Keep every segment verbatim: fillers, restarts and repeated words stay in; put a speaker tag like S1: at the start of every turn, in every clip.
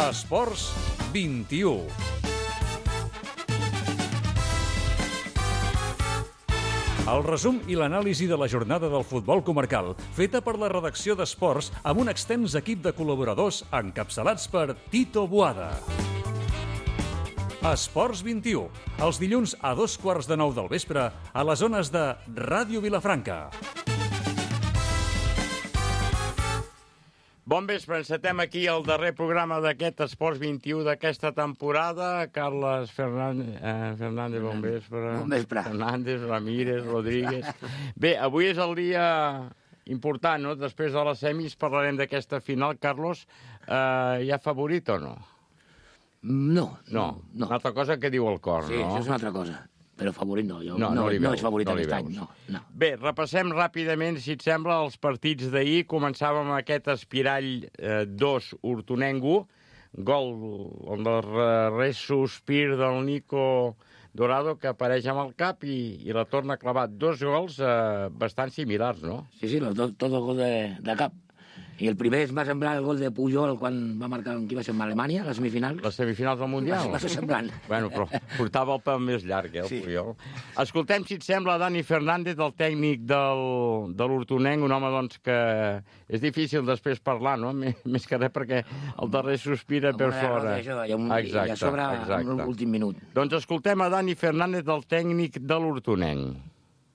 S1: Esports vint-i-u. El resum i l'anàlisi de la jornada del futbol comarcal, feta per la redacció d'Esports amb un extens equip de col·laboradors encapçalats per Tito Boada. Esports vint-i-u, els dilluns a dos quarts de nou del vespre a les zones de Ràdio Vilafranca.
S2: Bon vespre, encetem aquí el darrer programa d'aquest Esports vint-i-u d'aquesta temporada. Carles Fernández, eh, Fernández, bon vespre.
S3: Bon vespre.
S2: Fernández, Ramírez, Rodríguez. Bé, avui és el dia important, no? Després de les semis parlarem d'aquesta final. Carlos, eh, hi ha favorit o no?
S3: No.
S2: No,
S3: no.
S2: Una altra cosa que diu el cor,
S3: sí,
S2: no?
S3: Sí, això és una altra cosa. Però favorit no, jo,
S2: no,
S3: no,
S2: no,
S3: no
S2: veus,
S3: és favorit
S2: no
S3: aquest any, no, no.
S2: Bé, repassem ràpidament, si et sembla, els partits d'ahir. Començàvem amb aquest Espirall eh, dos, Hortonengo, gol, el darrer sospir del Nico Dorado, que apareix amb el cap i, i la torna a clavar. Dos gols eh, bastant similars, no?
S3: Sí, sí, los dos, tots els gols de, de cap. I el primer es va semblar el gol de Pujol quan va marcar qui va ser en Alemanya, la semifinal.
S2: Les semifinals del Mundial?
S3: Va, va ser semblant.
S2: Bueno, però portava el pèl més llarg, eh, el sí. Pujol. Escoltem, si et sembla, Dani Fernández, el tècnic del, de l'Hortonenc, un home doncs, que és difícil després parlar, no? Més que res perquè el darrer sospira per fora.
S3: Això, hi ha un, exacte, hi ha sobre exacte. L'últim minut.
S2: Doncs escoltem a Dani Fernández, el tècnic de l'Hortonenc.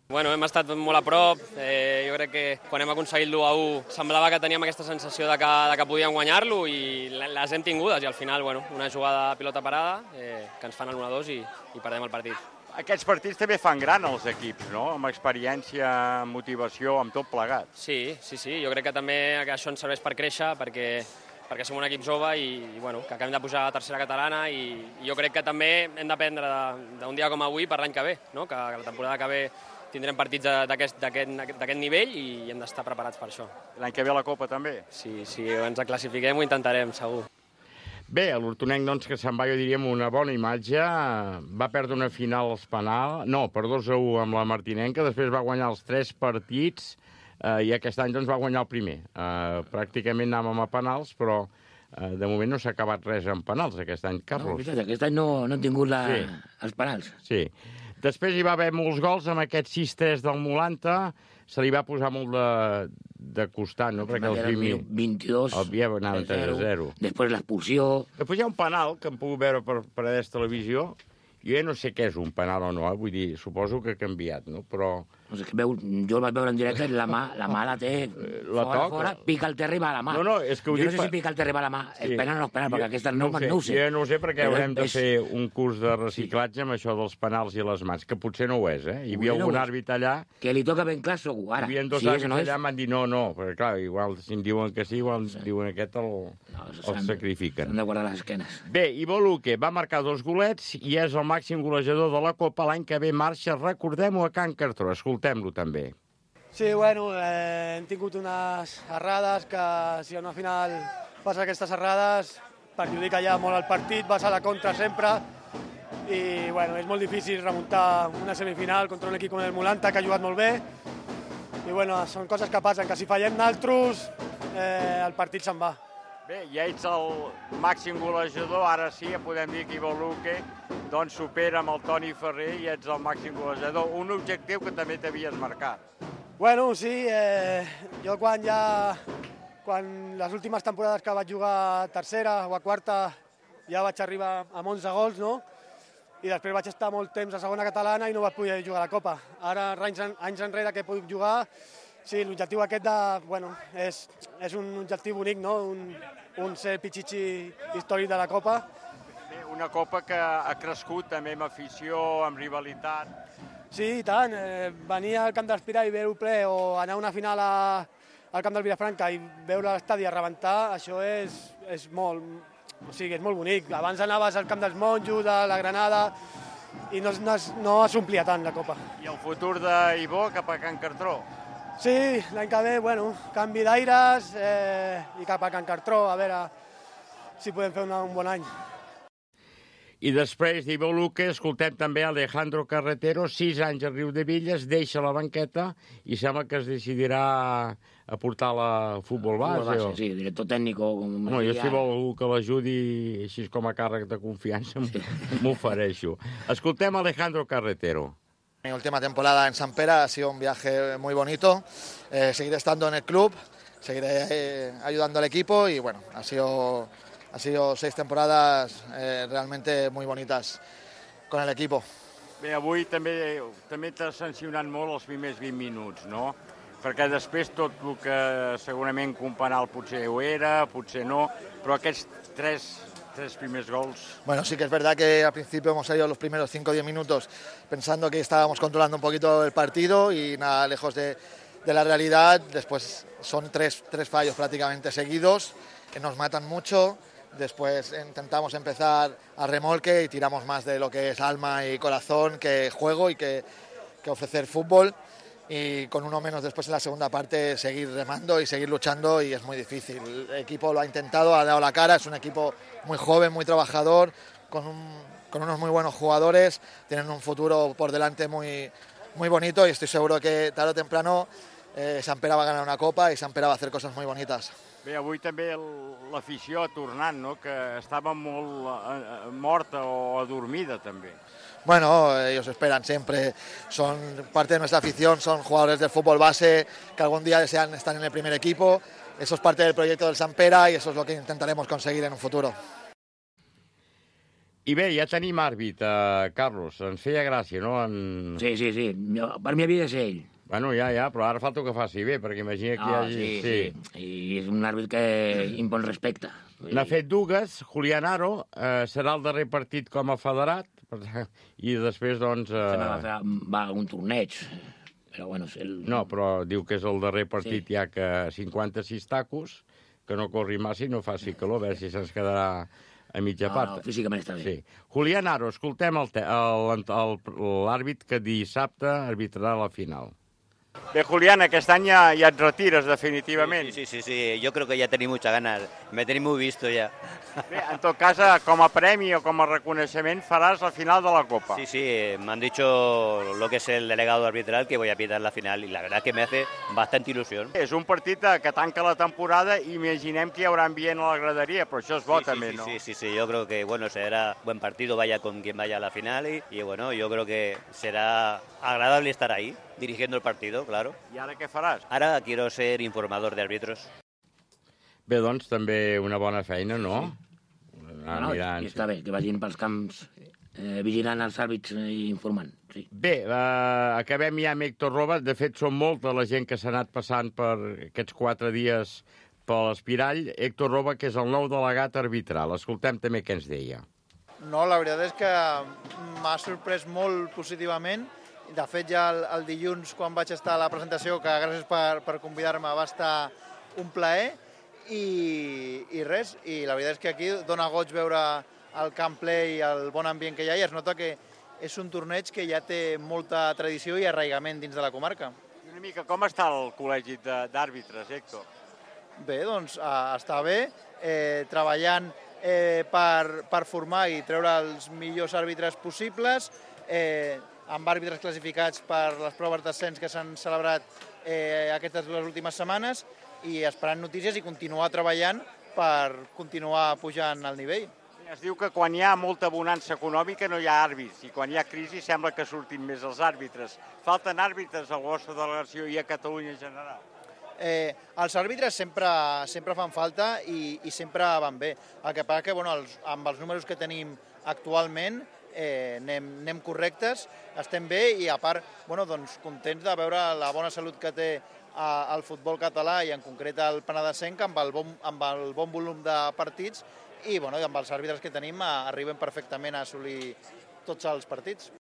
S4: Bueno, hem estat molt a prop, eh, jo crec que quan hem aconseguit l'u a u semblava que teníem aquesta sensació de que, de que podíem guanyar-lo i les hem tingudes i al final, bueno, una jugada de pilota parada eh, que ens fan el u a dos i, i perdem el partit.
S2: Aquests partits també fan gran els equips, no? Amb experiència, amb motivació, amb tot plegat.
S4: Sí, sí, sí, jo crec que també que això ens serveix per créixer perquè perquè som un equip jove i, i bueno, que acabem de pujar a tercera catalana i, i jo crec que també hem d'aprendre d'un dia com avui per l'any que ve, no? que, que la temporada que ve tindrem partits d'aquest nivell i hem d'estar preparats per això.
S2: L'any que ve la Copa també?
S4: Sí, si ens classifiquem ho intentarem, segur.
S2: Bé, l'Hortonenc, doncs, que se'n va, jo diria, amb una bona imatge, va perdre una final als penals, no, per dos a u amb la Martinenca, després va guanyar els tres partits eh, i aquest any doncs, va guanyar el primer. Eh, pràcticament anàvem a penals, però eh, de moment no s'ha acabat res en penals aquest any, Carlos.
S3: No, aquest any no, no hem tingut la...
S2: sí.
S3: els penals.
S2: Sí. Després hi va haver molts gols amb aquest sis tres del Molanta, se li va posar molt de, de costat, no? Perquè
S3: el
S2: primer...
S3: vint-i-dos,
S2: havia anat tres a zero.
S3: Després l'expulsió...
S2: Després hi ha un penal que hem pogut veure per, per a televisió. Jo ja no sé què és un penal o no, eh? Vull dir, suposo que ha canviat, no? Però...
S3: No sé, que veu, jo el vaig veure en directe, la mà la, mà la té
S2: la
S3: fora,
S2: toca.
S3: fora, pica el terra i va a la mà.
S2: No, no, és que ho
S3: jo
S2: dic...
S3: no sé si pica el terra i va a la mà, sí. És penal o no és penal, perquè aquesta no, no, no ho sé.
S2: Jo no ho sé perquè
S3: però
S2: haurem de
S3: és...
S2: fer un curs de reciclatge amb això dels penals i les mans, que potser no ho és, eh? Hi havia
S3: no
S2: algun àrbit allà...
S3: Que li toca ben clar, segur, ara.
S2: Hi havia dos
S3: si
S2: àrbits
S3: no és...
S2: allà, m'han dit no, no, perquè clar, igual si em diuen que sí, igual sí. Diuen aquest el,
S3: no,
S2: el sacrifiquen.
S3: S'han de guardar les esquenes.
S2: Bé, Ivo Luque va marcar dos golets i és el màxim golejador de la Copa. L'any que ve marxa, recordem-ho, a Can Cartró. Escoltem-lo també.
S5: Sí, bueno, eh, hem tingut unes errades que si a una final passa aquestes errades perjudica ja molt el partit, vas a la contra sempre i bueno, és molt difícil remuntar una semifinal contra un equip com el Molanta que ha jugat molt bé i bueno, són coses que passen, que si fallem naltros eh, el partit se'n va.
S2: Bé, ja ets el màxim golejador, ara sí, ja podem dir que Ivo Luque doncs supera amb el Toni Ferrer i ets el màxim golejador, un objectiu que també t'havies marcat.
S5: Bueno, sí, eh, jo quan ja, quan les últimes temporades que vaig jugar a tercera o a quarta ja vaig arribar amb onze gols, no? I després vaig estar molt temps a segona catalana i no vaig poder jugar a la Copa. Ara, anys, anys enrere que puc jugar, sí, l'objectiu aquest de, bueno, és, és un objectiu bonic, no? Un, un ser pitxitxi històric de la Copa.
S2: Una Copa que ha crescut també amb afició, amb rivalitat.
S5: Sí, i tant. Eh, venir al camp d'Espirall i veure-ho ple o anar a una final a, al camp del Vilafranca i veure l'estadi a rebentar, això és, és molt, o sigui, és molt bonic. Abans anaves al camp dels Monjos, a la Granada, i no, no, no s'omplia tant la Copa.
S2: I el futur d'Ibó cap a Can Cartró?
S5: Sí, l'any que ve, bueno, canvi d'aires eh, i cap a Can Cartró, a veure si podem fer una, un bon any.
S2: I després d'Ivo Luque escoltem també Alejandro Carretero, sis anys al Riudebitlles, deixa la banqueta i sembla que es decidirà a portar la futbol base.
S3: Futbol base,
S2: o...
S3: sí, director tècnico.
S2: No, jo si vol algú que l'ajudi així com a càrrec de confiança m'ofereixo. Escoltem Alejandro Carretero.
S6: Mi última temporada en Sant Pere ha sido un viaje muy bonito. Eh, seguiré estando en el club, seguiré eh, ayudando al equipo y bueno, ha sido, ha sido seis temporadas eh, realmente muy bonitas con el equipo.
S2: Bé, avui també també t'ha sancionat molt els primers vint minuts, no? Perquè després tot el que segurament Companal potser ho era, potser no, però aquests tres... tres primeros gols.
S6: Bueno, sí que es verdad que al principio hemos salido los primeros cinco o diez minutos pensando que estábamos controlando un poquito el partido y nada lejos de, de la realidad. Después son tres, tres fallos prácticamente seguidos que nos matan mucho. Después intentamos empezar a remolque y tiramos más de lo que es alma y corazón que juego y que, que ofrecer fútbol. Y con uno menos después en la segunda parte seguir remando y seguir luchando y es muy difícil. El equipo lo ha intentado, ha dado la cara, es un equipo muy joven, muy trabajador, con, un, con unos muy buenos jugadores, tienen un futuro por delante muy, muy bonito y estoy seguro que tarde o temprano eh, Sant Pere va a ganar una copa y Sant Pere va a hacer cosas muy bonitas.
S2: Bé, avui també l'afició ha tornat, no? Que estava molt eh, morta o adormida també.
S6: Bueno, ellos esperan siempre, son parte de nuestra afición, son jugadores del fútbol base que algún día desean estar en el primer equipo. Eso es parte del proyecto del Sant Pere y eso es lo que intentaremos conseguir en un futuro.
S2: I bé, ja tenim àrbit, eh, Carlos. Ens feia gràcia, no? En...
S3: Sí, sí, sí. Per mi havia de ser ell.
S2: Bueno, ja, ja, però ara falta que faci bé, perquè imagina que
S3: no,
S2: hi hagi...
S3: Sí, sí, sí. I és un àrbit que impon respecte.
S2: N'ha fet dues. Julián Aro eh, serà el darrer partit com a federat, i després, doncs... Eh...
S3: Va, fer, va a un torneig, però bueno... El...
S2: No, però diu que és el darrer partit, sí. Ja que cinquanta-sis tacos, que no corri massa i no faci calor, a veure si se'ns quedarà a mitja
S3: no,
S2: part.
S3: No, físicament està bé.
S2: Sí. Julián Aro, escoltem l'àrbit que dissabte arbitrarà la final. Bé, Julián, aquest any ja, ja et retires definitivament.
S7: Sí, sí, sí, sí, yo creo que ya tenéis muchas ganas, me tenéis muy visto ya.
S2: Bé, en tot cas, com a premi o com a reconeixement faràs la final de la Copa.
S7: Sí, sí, me han dicho lo que es el delegado arbitral que voy a pitar la final y la verdad que me hace bastante ilusión.
S2: És un partit que tanca la temporada i imaginem que hi haurà ambient a la graderia, però això és bo
S7: sí,
S2: també,
S7: sí,
S2: ¿no?
S7: Sí, sí, sí, yo creo que bueno, será buen partido, vaya con quien vaya a la final y, y bueno, yo creo que será agradable estar ahí, dirigiendo el partido, claro.
S2: I ara què faràs?
S7: Ara quiero ser informador de árbitros.
S2: Bé, doncs també una bona feina, no?
S3: Sí. No, mirant, i està bé, que vagin pels camps eh, vigilant els àrbits i informant. Sí.
S2: Bé, eh, acabem ja amb Héctor Roba. De fet, són molta la gent que s'ha anat passant per aquests quatre dies per l'Espirall. Héctor Roba, que és el nou delegat arbitral. Escoltem també què ens deia.
S8: No, la veritat és que m'ha sorprès molt positivament. De fet, ja el, el dilluns, quan vaig estar a la presentació, que gràcies per, per convidar-me, va estar un plaer. I, i res, i la veritat és que aquí dona goig veure el camp ple i el bon ambient que hi ha, i es nota que és un torneig que ja té molta tradició i arraigament dins de la comarca.
S2: Una mica, com està el col·legi d'àrbitres, Héctor?
S8: Bé, doncs està bé, eh, treballant eh, per, per formar i treure els millors àrbitres possibles, eh, amb àrbitres classificats per les proves d'ascens que s'han celebrat eh, aquestes dues últimes setmanes, i esperant notícies i continuar treballant per continuar pujant el nivell.
S2: Es diu que quan hi ha molta bonança econòmica no hi ha àrbits, i quan hi ha crisi sembla que surtin més els àrbitres. Falten àrbitres a la vostra delegació i a Catalunya en general?
S8: Eh, els àrbitres sempre, sempre fan falta i, i sempre van bé. El que passa que bueno, els, amb els números que tenim actualment eh, anem, anem correctes, estem bé i a part bueno, doncs, contents de veure la bona salut que té al futbol català i en concret al Penedesenc amb el bon, amb el bon volum de partits i bueno, amb els àrbitres que tenim arribem perfectament a assolir tots els partits.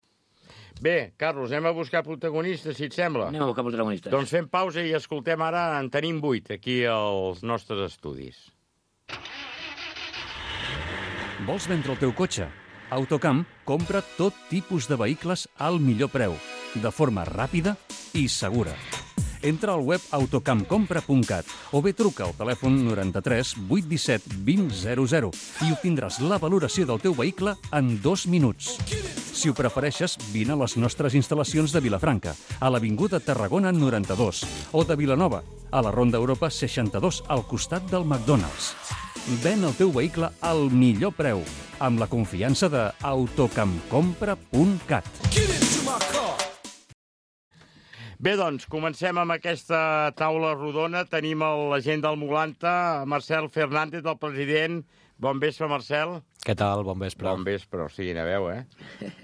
S2: Bé, Carlos, anem a buscar protagonistes, si et sembla.
S3: Anem a buscar protagonistes.
S2: Doncs fem pausa i escoltem ara, en tenim vuit aquí als nostres estudis.
S1: Vols vendre el teu cotxe? Autocamp compra tot tipus de vehicles al millor preu, de forma ràpida i segura. Entra al web autocampcompra punt cat o bé truca al telèfon noranta-tres vuit disset vint zero zero i obtindràs la valoració del teu vehicle en dos minuts. Si ho prefereixes, vine a les nostres instal·lacions de Vilafranca, a l'Avinguda Tarragona noranta-dos, o de Vilanova, a la Ronda Europa seixanta-dos, al costat del McDonald's. Ven el teu vehicle al millor preu, amb la confiança de autocampcompra punt cat.
S2: Bé, doncs, comencem amb aquesta taula rodona. Tenim la gent del Molanta, Marcel Fernández, el president. Bon vespre, Marcel.
S9: Què tal? Bon vespre.
S2: Bon vespre, o sigui, una veu, eh?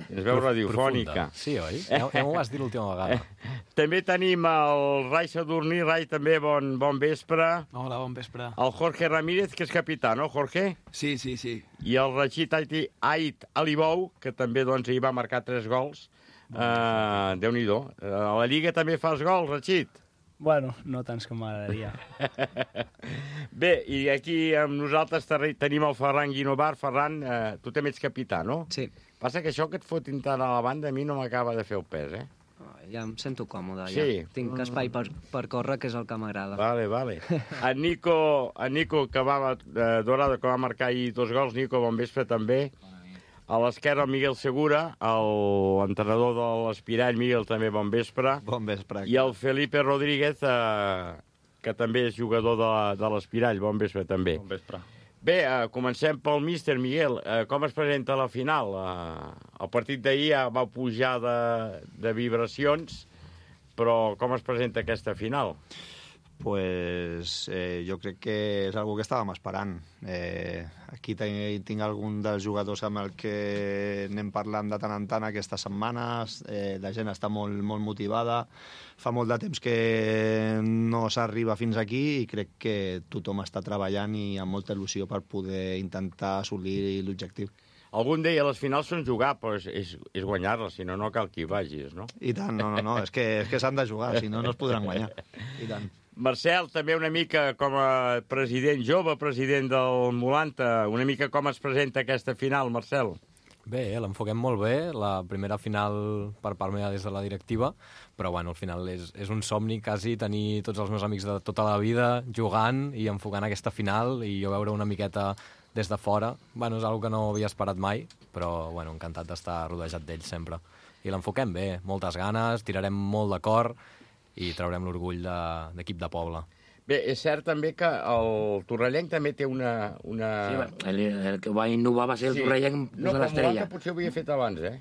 S2: Ens veu radiofònica.
S9: Profunda. Sí, oi? Ja, ja m'ho vas dir l'última vegada.
S2: Eh? També tenim el Rai Sadurní. Rai, també bon, bon vespre.
S10: Hola, bon vespre.
S2: El Jorge Ramírez, que és capità, no, Jorge?
S10: Sí, sí, sí.
S2: I el Rachid Ait Alibou, que també doncs, ahir va marcar tres gols. Uh, Déu-n'hi-do. Uh, a la Lliga també fas gols, Rachid?
S10: Bueno, no tants com m'agradaria.
S2: Bé, i aquí amb nosaltres tenim el Ferran Guinovar. Ferran, eh, tu també ets capità, no?
S11: Sí.
S2: Passa que això que et fotin tant a la banda a mi no m'acaba de fer el pes, eh?
S11: Oh, ja em sento còmode,
S2: sí.
S11: Ja. Tinc espai per, per córrer, que és el que m'agrada.
S2: Vale, vale. En Nico, en Nico que va, eh, Dorado, que va marcar ahir dos gols. Nico, bon vespre també. A l'esquerra, el Miguel Segura, l'entrenador de l'Espirall. Miguel, també bon vespre.
S12: Bon vespre.
S2: I el Felipe Rodríguez, eh, que també és jugador de, de l'Espirall. Bon vespre, també.
S12: Bon vespre.
S2: Bé, eh, comencem pel míster Miguel. Eh, com es presenta la final? Eh, el partit d'ahir ja va pujar de, de vibracions, però com es presenta aquesta final?
S12: Pues eh, jo crec que és algo que estàvem esperant. Eh, aquí tinc, tinc algun dels jugadors amb el que anem parlant de tant en tant aquestes setmanes. Eh, la gent està molt, molt motivada. Fa molt de temps que no s'arriba fins aquí i crec que tothom està treballant i amb molta il·lusió per poder intentar assolir l'objectiu.
S2: Algun deia, les finals són jugar, però és, és, és guanyar-les, si no, no cal que hi vagis, no?
S12: I tant, no, no, no, és que, és que s'han de jugar, si no, no es podran guanyar. I tant.
S2: Marcel, també una mica com a president jove, president del Molanta, una mica com es presenta aquesta final, Marcel?
S9: Bé, l'enfoquem molt bé, la primera final per part meva des de la directiva, però bueno, al final és, és un somni quasi tenir tots els meus amics de tota la vida jugant i enfocant aquesta final i jo veure una miqueta des de fora. Bueno, és una que no havia esperat mai, però bueno, encantat d'estar rodejat d'ells sempre. I l'enfoquem bé, moltes ganes, tirarem molt de cor i traurem l'orgull d'equip de, de poble.
S2: Bé, és cert també que el Torrellenc també té una... una...
S3: Sí, el, el que va innovar va ser el sí. Torrellenc
S2: no,
S3: de l'Estrella.
S2: No, potser ho havia fet abans, eh?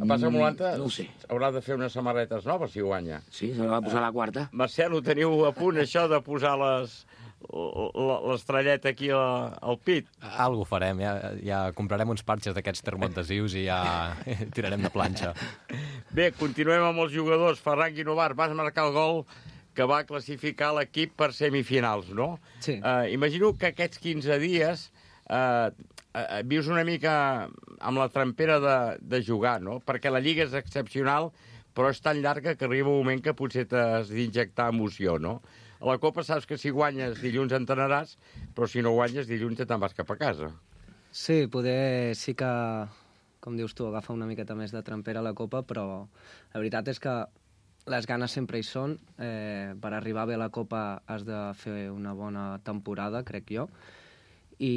S2: A passa que Molanta
S3: no ho sé.
S2: Haurà de fer unes samarretes noves si guanya.
S3: Sí, se la va posar a la quarta.
S2: Marcel, ho teniu a punt, això de posar les... l'estrelleta aquí al pit.
S9: Algo farem, ja, ja comprarem uns parxes d'aquests termoadhesius i ja tirarem de planxa.
S2: Bé, continuem amb els jugadors. Ferran Guinovar, vas marcar el gol que va classificar l'equip per semifinals, no?
S11: Sí.
S2: Uh, imagino que aquests quinze dies uh, uh, vius una mica amb la trampera de, de jugar, no? Perquè la Lliga és excepcional, però és tan llarga que arriba un moment que potser t'has d'injectar emoció, no? A la Copa saps que si guanyes dilluns entrenaràs, però si no guanyes dilluns te'n vas cap a casa.
S11: Sí, poder sí que, com dius tu, agafa una miqueta més de trampera a la Copa, però la veritat és que les ganes sempre hi són. Eh, per arribar bé a la Copa has de fer una bona temporada, crec jo, i,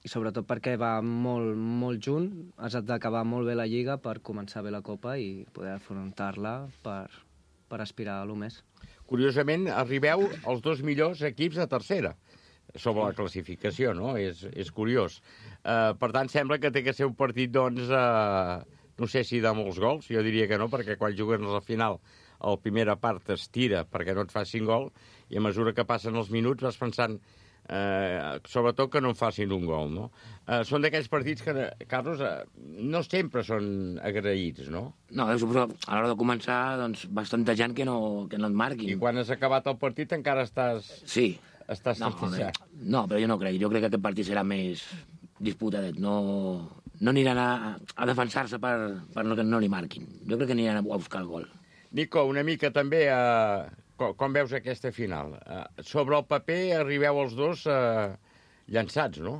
S11: i sobretot perquè va molt, molt junt, has d'acabar molt bé la Lliga per començar bé la Copa i poder afrontar-la per, per aspirar a lo més.
S2: Curiosament, arribeu els dos millors equips de tercera sobre la classificació, no? És, és curiós. Uh, per tant, sembla que té que ser un partit, doncs, uh, no sé si de molts gols, jo diria que no, perquè quan juguen a la final, la primera part es tira perquè no et facin gol, i a mesura que passen els minuts vas pensant, uh, sobretot que no en facin un gol, no? Uh, són d'aquells partits que, Carlos, uh, no sempre són agraïts, no?
S3: No, suposo que a l'hora de començar, doncs, bastanta gent que no, que no et marquin.
S2: I quan has acabat el partit encara estàs...
S3: Sí.
S2: Estàs
S3: no,
S2: satisfet.
S3: No, però jo no crec. Jo crec que aquest partit serà més disputadet. No, no aniran a, a defensar-se per, per no que no li marquin. Jo crec que aniran a buscar el gol.
S2: Nico, una mica també, eh, com, com veus aquesta final? Eh, sobre el paper arribeu els dos eh, llançats, no?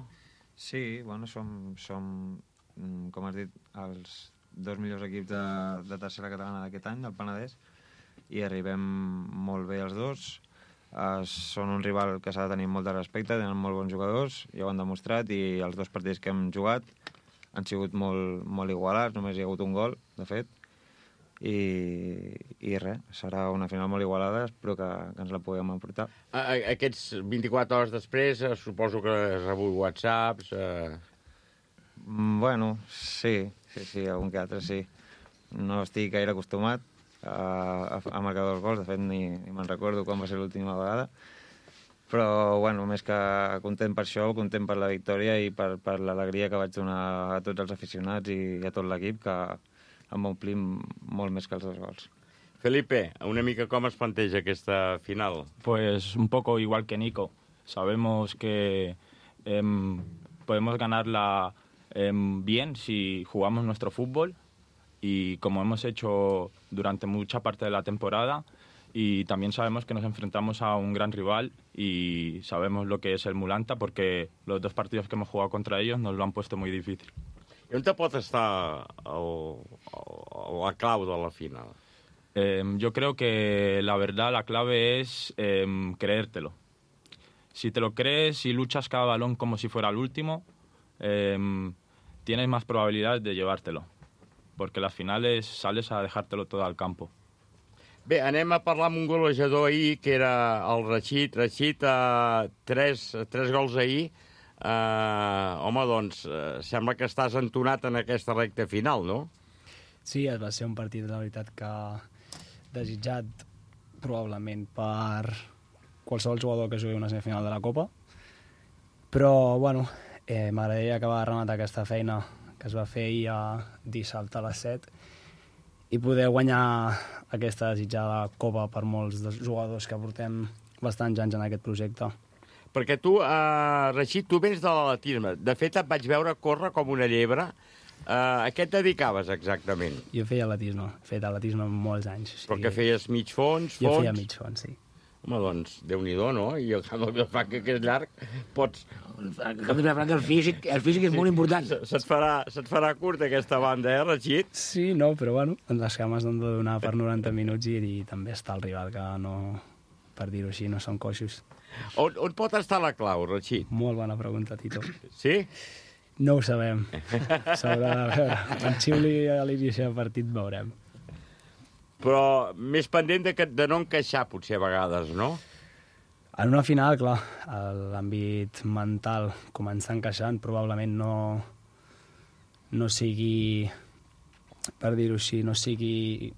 S13: Sí, bueno, som, som, com has dit, els dos millors equips de, de tercera catalana d'aquest any, del Penedès. i arribem molt bé els dos. Uh, són un rival que s'ha de tenir molt de respecte, tenen molt bons jugadors, ja ho han demostrat, i els dos partits que hem jugat han sigut molt, molt igualats, només hi ha hagut un gol, de fet, i, i res, serà una final molt igualada, espero que, que ens la puguem emportar.
S2: Aquests vint-i-quatre hores després, eh, suposo que has rebut whatsapps... Eh...
S13: Mm, bueno, sí, sí, sí, algun que altre sí. No estic gaire acostumat a, a, a marcar dos gols, de fet ni, ni me'n recordo quan va ser l'última vegada, però bueno, més que content per això, content per la victòria i per, per l'alegria que vaig donar a tots els aficionats i a tot l'equip, que em omplim molt més que els dos gols.
S2: Felipe, una mica com es planteja aquesta final?
S14: Pues un poco igual que Nico. Sabemos que eh, podemos ganarla eh, bien si jugamos nuestro fútbol, y como hemos hecho durante mucha parte de la temporada, y también sabemos que nos enfrentamos a un gran rival y sabemos lo que es el Mulanta, porque los dos partidos que hemos jugado contra ellos nos lo han puesto muy difícil.
S2: I on te pot estar el, el, la clau de la final?
S14: Eh, yo creo que la verdad, la clave es eh, creértelo. Si te lo crees y luchas cada balón como si fuera el último, eh, tienes más probabilidades de llevártelo, porque las finales sales a dejártelo todo al campo.
S2: Bé, anem a parlar amb un golejador ahir, que era el Rachid. Rachid, uh, tres, tres gols ahir. Uh, home, doncs, uh, sembla que estàs entonat en aquesta recta final, no?
S10: Sí, va ser un partit, la veritat, que desitjat probablement per qualsevol jugador que jugui una semifinal de la Copa. Però, bueno, eh, m'agradaria acabar de rematar aquesta feina que es va fer ahir a dissabte a les set i poder guanyar aquesta desitjada Copa per molts dels jugadors que portem bastants anys en aquest projecte.
S2: Perquè tu, uh, Rachid, tu vens de l'atletisme. De fet, et vaig veure córrer com una llebre. Uh, a què et dedicaves exactament?
S10: Jo feia atletisme. He fet atletisme molts anys. O sigui...
S2: Però que feies mig fons, fons?
S10: Jo feia mig fons, sí.
S2: Home, doncs, Déu-n'hi-do, no? I el camp de Vilafranca, que és llarg, pots...
S3: El camp de Vilafranca, el físic, el físic és sí. molt important.
S2: Se't farà, se't farà curta aquesta banda, eh, Rachid?
S10: Sí, no, però bueno, les cames han de donar per noranta minuts i, i també està el rival, que no, per dir-ho així, no són coixos.
S2: On, on pot estar la clau, Rachid?
S10: Molt bona pregunta, Tito.
S2: Sí?
S10: No ho sabem. S'haurà de veure. En xiuli a l'inici del partit veurem.
S2: Però més pendent de, que, de no encaixar, potser, a vegades, no?
S10: En una final, clar, l'àmbit mental començar encaixant probablement no, no sigui, per dir-ho així, no sigui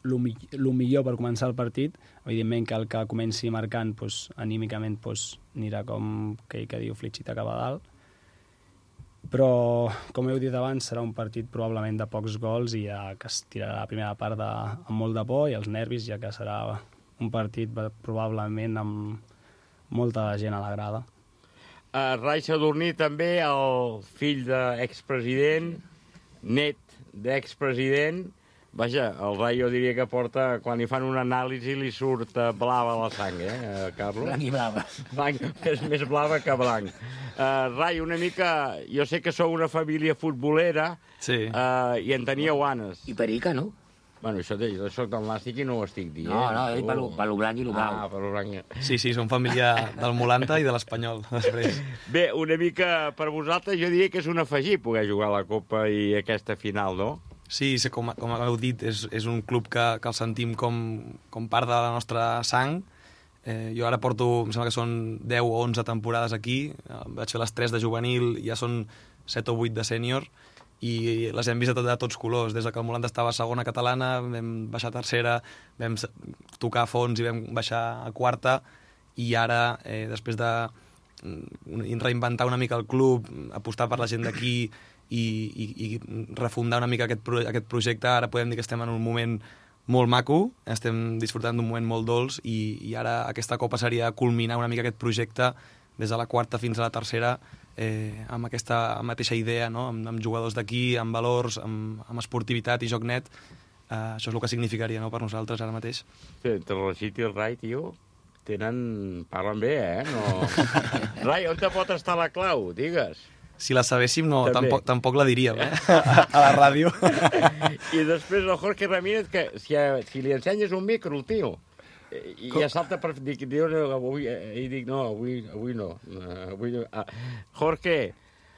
S10: el millor per començar el partit. Evidentment que el que comenci marcant, doncs, anímicament, doncs, anirà com que, que diu Flitxita cap a dalt. Però, com heu dit abans, serà un partit probablement de pocs gols i ja que es tirarà la primera part de, amb molt de por i els nervis, ja que serà un partit probablement amb molta gent a la grada.
S2: Uh, Rai Sadurní també, el fill d'expresident, net d'expresident. Vaja, el Rai jo diria que porta, quan li fan una anàlisi li surt blava la sang, eh, Carlos?
S3: Blanc i blava.
S2: Blanc, és més blava que blanc. Uh, Rai, una mica... Jo sé que sou una família futbolera
S10: sí.
S2: uh, i en teníeu ganes.
S3: I perica, no?
S2: Bueno, això jo soc del Nàstic i no ho estic dient.
S3: No, no, he dit per lo, per lo blanc i lo blau.
S2: Ah, per lo blanc.
S10: Sí, sí, som família del Mulanta i de l'Espanyol, després.
S2: Bé, una mica per vosaltres, jo diria que és un afegir poder jugar a la Copa i aquesta final, no?
S10: Sí, com, com heu dit, és, és un club que, que el sentim com, com part de la nostra sang. Eh, jo ara porto, em sembla que són deu o onze temporades aquí, eh, vaig fer les tres de juvenil, ja són set o vuit de sènior, i les hem vist de, de tots colors. Des que el Molanda estava a segona catalana, vam baixar a tercera, vam tocar a fons i vam baixar a quarta, i ara, eh, després de reinventar una mica el club, apostar per la gent d'aquí, I, i, i refundar una mica aquest, pro, aquest projecte, ara podem dir que estem en un moment molt maco, estem disfrutant d'un moment molt dolç i, i ara aquesta Copa seria culminar una mica aquest projecte des de la quarta fins a la tercera eh, amb aquesta mateixa idea, no? amb, amb jugadors d'aquí, amb valors, amb, amb esportivitat i joc net. Eh, això és el que significaria, no?, per nosaltres ara mateix.
S2: Sí, entre el Rachid i el Rai, tio, tenen... parlen bé, eh? No... Rai, on te pot estar la clau? Digues.
S10: si la sabéssim no,
S2: També.
S10: tampoc, tampoc la diríem, eh? a, a la ràdio.
S2: I després el Jorge Ramírez, que si, si li ensenyes un micro, el tio, i ja salta per dir, diu, avui, i dic, no, avui, avui no. Avui no. Ah, Jorge,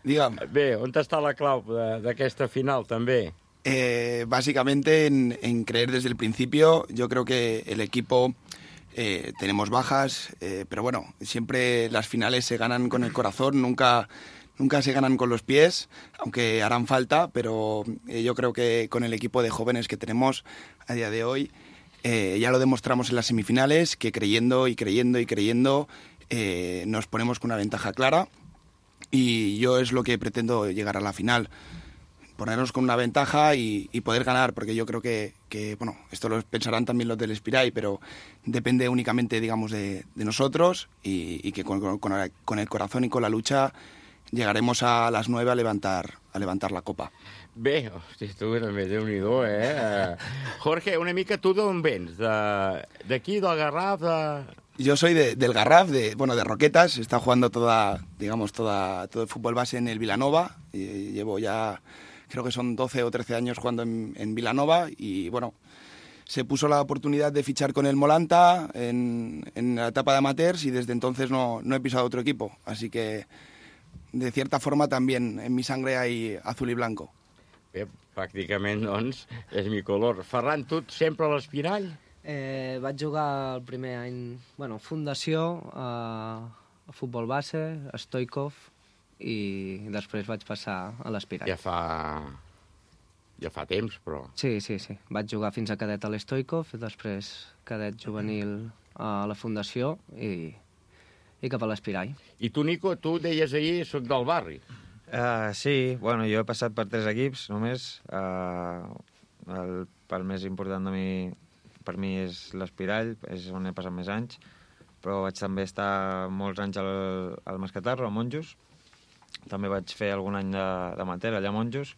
S15: Dígame.
S2: Bé, on està la clau d'aquesta final, també?
S15: Eh, básicamente en, en creer desde el principio. Yo creo que el equipo eh, tenemos bajas, eh, pero bueno, siempre las finales se ganan con el corazón, nunca, nunca se ganan con los pies, aunque harán falta, pero eh, yo creo que con el equipo de jóvenes que tenemos a día de hoy, eh, ya lo demostramos en las semifinales, que creyendo y creyendo y creyendo eh, nos ponemos con una ventaja clara, y yo es lo que pretendo llegar a la final. Ponernos con una ventaja y, y poder ganar, porque yo creo que, que, bueno, esto lo pensarán también los del Espirai, pero depende únicamente, digamos, de, de nosotros y, y que con, con, con el corazón y con la lucha llegaremos a las nueve a levantar, a levantar la copa.
S2: Bé, hosti, tu, Déu-n'hi-do, eh? Jorge, una mica tu d'on vens? D'aquí, del Garraf? De...
S15: Yo soy de, del Garraf, de, bueno, de Roquetas. He estado jugando toda, digamos, toda, todo el fútbol base en el Vilanova. Y llevo ya... creo que son doce o trece años jugando en, en Vilanova y bueno, se puso la oportunidad de fichar con el Molanta en, en la etapa de amateurs y desde entonces no, no he pisado otro equipo, así que de cierta forma también en mi sangre hay azul y blanco.
S2: Bé, pràcticament, doncs, és mi color. Ferran, tu sempre a l'Espirall?
S11: Eh, vaig jugar el primer any, bueno, fundació, a, a futbol base, a Stoikov, i després vaig passar a l'Espirall.
S2: Ja fa... ja fa temps, però...
S11: Sí, sí, sí. Vaig jugar fins a cadet a l'Stoikov, després cadet juvenil a la Fundació i, i cap a l'Espirall.
S2: I tu, Nico, tu deies ahir, soc del barri.
S13: Uh, sí, bueno, jo he passat per tres equips només. Uh, el, el més important de mi, per mi és l'Espirall, és on he passat més anys, però vaig també estar molts anys al, al Mascatarro, a Monjos. També vaig fer algun any d'amateur allà a Monjos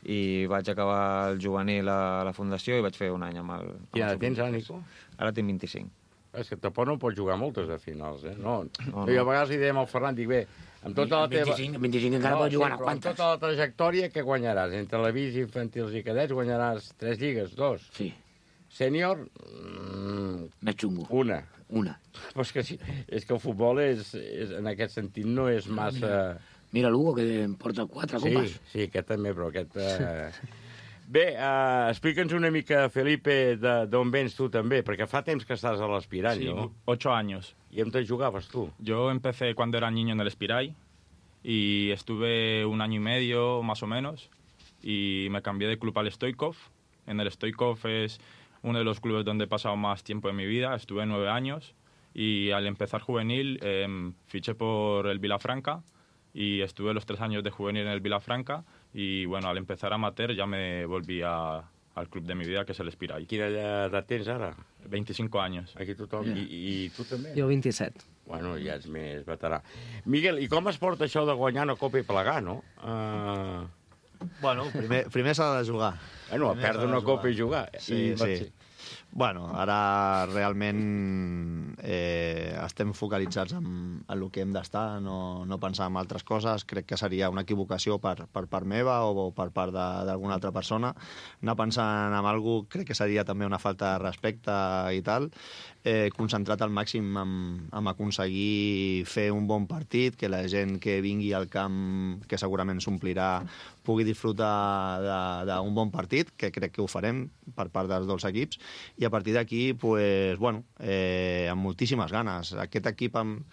S13: i vaig acabar el juvenil a la Fundació i vaig fer un any amb el...
S2: Quina edat tens, ara, Nico?
S13: Ara tinc vint-i-cinc.
S2: És que tampoc no pots jugar moltes de finals, eh? No,
S13: no, no.
S2: Jo a vegades li dèiem al Ferran, dic, bé, amb tota la teva...
S3: vint-i-cinc, vint-i-cinc encara
S2: no,
S3: pots jugar
S2: sí,
S3: a quantes?
S2: Amb tota la trajectòria, què guanyaràs? Entre la bis, infantils i cadets guanyaràs tres lligues, dos?
S3: Sí.
S2: Sènior? Mm,
S3: Més xungo.
S2: Una.
S3: Una.
S2: Però és que, sí, és que el futbol és, és, en aquest sentit no és massa...
S3: Mira l'Hugo, que em porta quatre copes.
S2: Sí, sí, aquest també, però aquest... Eh... Bé, uh, explica'ns una mica, Felipe, d'on vens tu també, perquè fa temps que estàs a l'Espirall,
S14: sí,
S2: ¿no?
S14: ocho años.
S2: ¿Y dónde jugabas tú?
S14: Yo empecé cuando era niño en el Espirai y estuve un año y medio, más o menos, y me cambié de club al Stoikov. En el Stoikov es uno de los clubes donde he pasado más tiempo en mi vida, estuve nueve años, y al empezar juvenil eh, fiché por el Vilafranca, y estuve los tres años de juvenil en el Vilafranca, y bueno, al empezar amateur ya me volví a, al club de mi vida, que és l'Espirai.
S2: Quina edat tens ara?
S14: veinticinco años.
S2: Aquí tothom. Yeah. I, I tu també?
S11: Jo vint-i-set.
S2: Bueno, ja ets més veterà. Miguel, i com es porta això de guanyar una copa i plegar, no? Uh...
S12: Bueno, primer, primer s'ha de jugar.
S2: Bueno, a perdre una copa i jugar.
S12: Sí,
S2: I,
S12: sí. Bueno, ara realment eh, estem focalitzats en, en el que hem d'estar, no, no pensar en altres coses. Crec que seria una equivocació per, per part meva o, o per part d'alguna altra persona. Anar pensant en alguna cosa crec que seria també una falta de respecte i tal. Eh, concentrat al màxim en, en aconseguir fer un bon partit, que la gent que vingui al camp, que segurament s'omplirà, pugui disfrutar d'un bon partit, que crec que ho farem per part dels dos equips, i a partir d'aquí, pues, bueno, eh, amb moltíssimes ganes. Aquest equip amb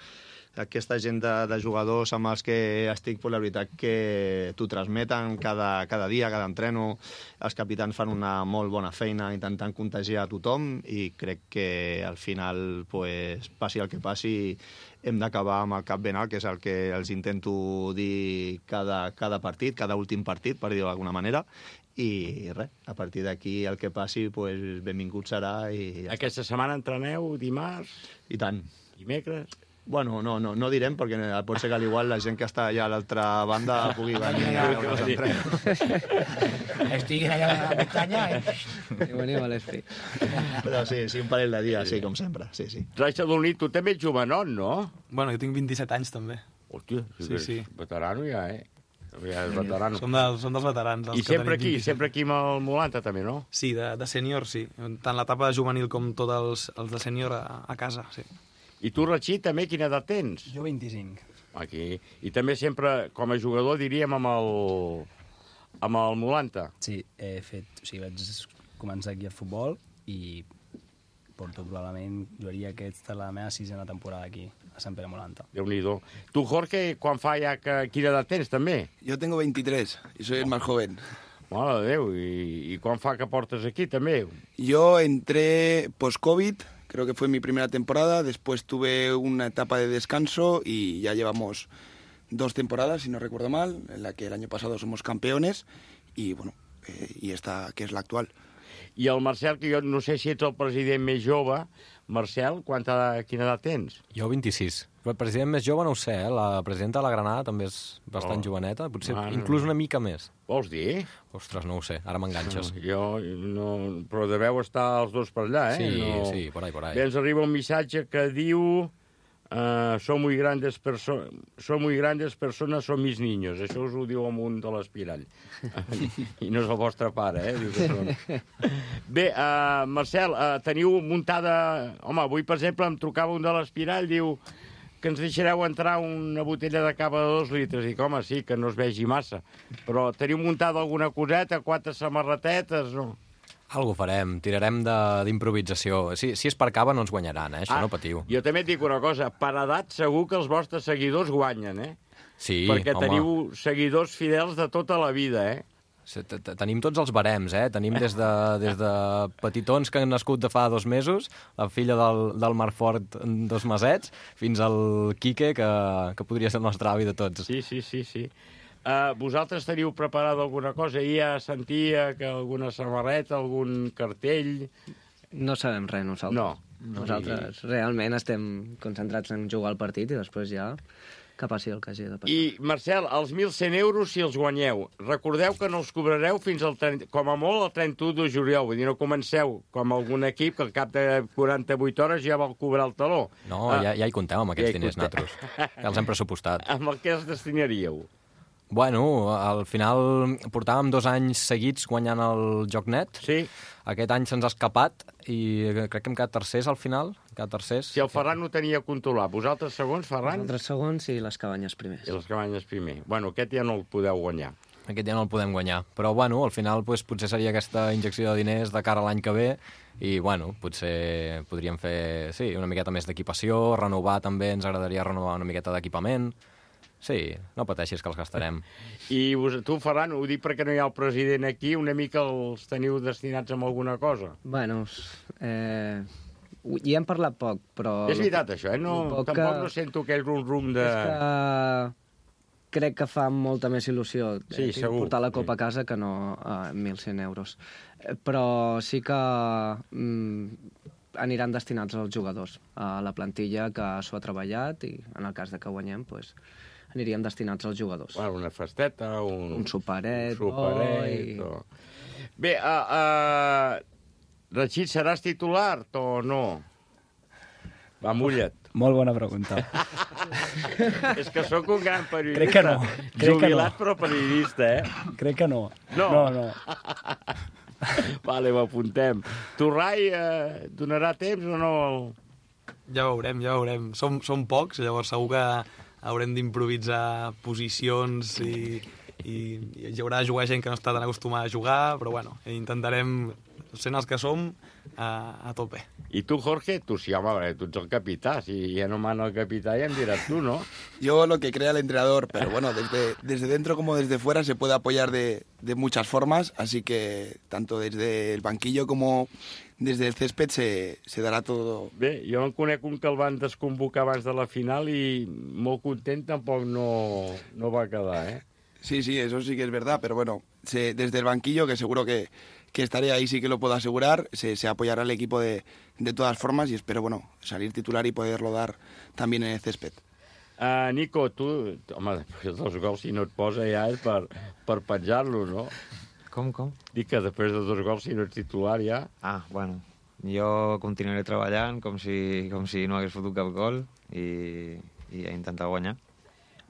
S12: aquesta gent de, de jugadors amb els que estic, pues, la veritat que t'ho transmeten cada, cada dia, cada entreno. Els capitans fan una molt bona feina intentant contagiar a tothom i crec que al final, pues, passi el que passi, hem d'acabar amb el cap ben alt, que és el que els intento dir cada, cada partit, cada últim partit, per dir-ho d'alguna manera, i res, a partir d'aquí el que passi, pues, benvingut serà. I ja
S2: aquesta setmana entreneu dimarts?
S12: I tant.
S2: Dimecres?
S12: Bueno, no, no, no direm, perquè pot ser que al igual la gent que està allà a l'altra banda pugui venir a veure els entrenos.
S3: Estiguin allà a la muntanya, eh?
S11: I veniu a l'Espí.
S12: Però sí, sí, un parell de dies, sí, com sempre, sí, sí.
S2: Rai Sadolí, tu també ets jovenot, no?
S10: Bueno, jo tinc vint-i-set anys, també.
S2: Hòstia,
S10: sí, sí.
S2: veterano ja, eh? Ja és veterano.
S10: Som, del, som dels veterans.
S2: I sempre aquí, sempre aquí amb el Molanta, també, no?
S10: Sí, de, de sènior, sí. Tant l'etapa juvenil com tots els, els de sènior a, a casa, sí.
S2: I tu, Rachid, també, quina edat tens?
S16: Jo vint-i-cinc.
S2: Aquí. I també sempre, com a jugador, diríem, amb el, amb el Molanta.
S16: Sí, he fet... O sigui, vaig començar aquí a futbol i porto probablement, jugaria aquesta la meva sisena temporada aquí, a Sant Pere Molanta.
S2: Déu-n'hi-do. Tu, Jorge, quan fa ja que... Quina edat tens, també?
S15: Yo tengo veintitrés y soy el más joven.
S2: Mare de Déu, i, i quan fa que portes aquí, també?
S15: Yo entré post-COVID, creo que fue mi primera temporada, después tuve una etapa de descanso y ya llevamos dos temporadas, si no recuerdo mal, en la que el año pasado somos campeones y, bueno, eh, y esta que es la actual.
S2: I el Marcel, que jo no sé si ets el president més jove. Marcel, quanta, quina edat tens?
S9: Jo vint-i-sis. El president més jove no ho sé, eh? La presidenta de la Granada també és bastant
S2: Oh.
S9: joveneta, potser
S2: Ah, no.
S9: inclús una mica més.
S2: Vols dir?
S9: Ostres, no ho sé, ara m'enganxes.
S2: No, jo no... Però deveu estar els dos per allà, eh?
S9: Sí,
S2: no...
S9: sí, por ahí, por ahí.
S2: Bé, ens arriba un missatge que diu... Uh, son muy grandes personas, son muy grandes personas, son mis niños. Això us ho diu amunt de l'espirall. I no és el vostre pare, eh? Diu que són. Bé, uh, Marcel, uh, teniu muntada... Home, avui, per exemple, em trucava un de l'espirall, diu que ens deixareu entrar una botella de cava de dos litres. I home, sí, que no es vegi massa. Però teniu muntada alguna coseta, quatre samarretetes, no?
S9: Algo farem, tirarem de- d'improvisació. Si, si és per cava no ens guanyaran, eh? Això
S2: Ah,
S9: no patiu.
S2: Jo també et dic una cosa, per edat segur que els vostres seguidors guanyen, eh?
S9: Sí,
S2: Perquè
S9: home.
S2: teniu seguidors fidels de tota la vida, eh?
S9: Sí, te- te- Tenim tots els barems, eh? Tenim des de, des de petitons que han nascut de fa dos mesos, la filla del, del Marfort en dos mesets, fins al Quique, que, que podria ser el nostre avi de tots.
S2: Sí, sí, sí, sí. Uh, vosaltres teniu preparada alguna cosa? Ja sentia que alguna samarreta, algun cartell...
S11: No sabem res, nosaltres.
S2: No.
S11: Nosaltres realment estem concentrats en jugar al partit i després ja que passi el que hagi de passar.
S2: I, Marcel, els mil cent euros, si els guanyeu, recordeu que no els cobrareu fins al trenta, com a molt el trenta-u de juliol. Vull dir, no comenceu com algun equip que al cap de quaranta-vuit hores ja vol cobrar el taló.
S9: No,
S2: Ah,
S9: ja, ja hi comptem amb
S2: ja
S9: aquests
S2: hi
S9: diners,
S2: compteu.
S9: nosaltres. Ja els hem pressupostat.
S2: Amb el que els destinaríeu?
S9: Bueno, al final portàvem dos anys seguits guanyant el Joc Net.
S2: Sí.
S9: Aquest any se'ns ha escapat i crec que hem quedat tercers al final. Hem quedat tercers.
S2: Si el Ferran ho tenia controlat, vosaltres segons, Ferran?
S11: Nosaltres segons i les cabanyes primers.
S2: I les cabanyes primer. Bueno, aquest ja no el podeu guanyar.
S9: Aquest ja no el podem guanyar. Però, bueno, al final pues, potser seria aquesta injecció de diners de cara a l'any que ve i, bueno, potser podríem fer, sí, una miqueta més d'equipació, renovar també, ens agradaria renovar una miqueta d'equipament. Sí, no pateixis que els gastarem.
S2: I vos, tu, Ferran, ho dic perquè no hi ha el president aquí, una mica els teniu destinats amb alguna cosa?
S11: Bueno, eh, hi hem parlat poc, però...
S2: És veritat, això, eh? No,
S11: poc
S2: tampoc
S11: que-
S2: no sento aquell rum-rum de...
S11: És que crec que fa molta més il·lusió
S2: Sí,
S11: eh,
S2: segur.
S11: portar la copa a casa que no a mil cent euros. Eh, Però sí que mm, aniran destinats als jugadors, a la plantilla que s'ho ha treballat i en el cas de que guanyem, pues, aniríem destinats als jugadors.
S2: Bueno, una festeta, un...
S11: Un superet,
S2: un superet
S11: bo i-
S2: o... Bé, uh, uh, Rachid, seràs titular o no? Va, mulla't.
S16: Molt bona pregunta.
S2: És que sóc un gran periodista.
S16: Crec que no. Crec que
S2: Jubilat,
S16: no.
S2: però periodista, eh?
S16: Crec que no.
S2: No?
S16: No, no.
S2: Vale, ho apuntem. Tu, Rai, eh, donarà temps o no?
S10: Ja veurem, ja veurem. Som, som pocs, llavors segur que haurem d'improvisar posicions i, i, i hi haurà de jugar gent que no està tan acostumada a jugar, però bueno, intentarem, sent els que som, a, a tope.
S2: I tu, Jorge, tu sí, home, perquè tu ets el capità. Si ja no mana el capità, ja em diràs tu, no?
S15: Yo lo que crea el entrenador, pero bueno, desde, desde dentro como desde fuera se puede apoyar de, de muchas formas, así que tanto desde el banquillo como desde el césped se, se dará todo.
S2: Bé, jo en conec un que el van desconvocar abans de la final i molt content tampoc no, no va quedar, eh?
S15: Sí, sí, eso sí que es verdad, pero bueno, se, desde el banquillo, que seguro que, que estaré ahí, sí que lo puedo asegurar, se, se apoyará al equipo de, de todas formas y espero, bueno, salir titular y poderlo dar también en el césped.
S2: Uh, Nico, tu... Home, després dels gols, si no et posa ja és per, per penjar-lo, no?
S13: Com, com?
S2: Dic que després de dos gols, si no ets titular ja...
S13: Ah, bueno, jo continuaré treballant com si, com si no hagués fotut cap gol i, i a intentar guanyar.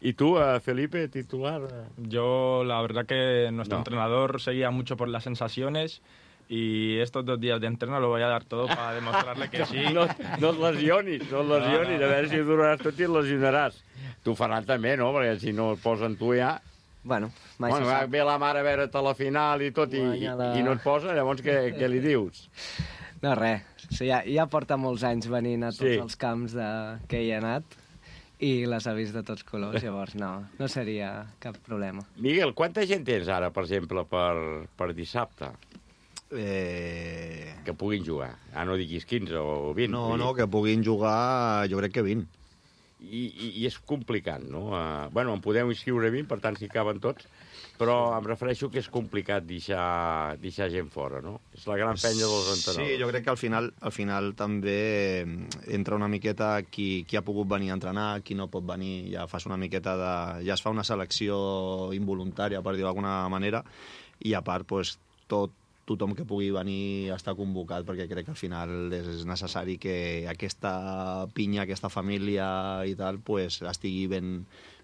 S2: ¿Y tú, Felipe, titular?
S14: Yo, la verdad que nuestro
S2: No.
S14: entrenador seguía mucho por las sensaciones y estos dos días de entreno lo voy a dar todo para demostrarle que sí.
S2: No, no et lesionis, no et lesionis,
S14: No, no,
S2: a veure si duraràs tot i et lesionaràs. Tu, Ferran, també, no? Perquè si no et posen tu ja...
S11: Bueno, mai
S2: bueno,
S11: se
S2: va,
S11: sap.
S2: ve la mare a veure't a la final i tot, i, i,
S11: Guanya la-
S2: i no et posa, llavors què, què li dius?
S11: No, res. O sigui, ja, ja porta molts anys venint a tots
S2: Sí.
S11: els camps de... que hi ha anat i les ha vist de tots colors, llavors no, no seria cap problema.
S2: Miguel, quanta gent tens ara, per exemple, per, per dissabte?
S12: Eh...
S2: Que puguin jugar. Ah, no diguis quinze o vint.
S12: No,
S2: vull
S12: no,
S2: dir.
S12: que puguin jugar, jo crec que vint.
S2: I, i, i és complicat, no? Uh, bueno, en podem inscriure vint, per tant, si caben tots, però em refereixo que és complicat deixar, deixar gent fora, no? És la gran penya dels entrenadors.
S12: Sí, jo crec que al final, al final també entra una miqueta qui, qui ha pogut venir a entrenar, qui no pot venir, ja fas una miqueta de... ja es fa una selecció involuntària, per dir-ho d'alguna manera, i a part, pues, tot, tothom que pugui venir està convocat, perquè crec que al final és necessari que aquesta pinya, aquesta família i tal, pues, estigui ben,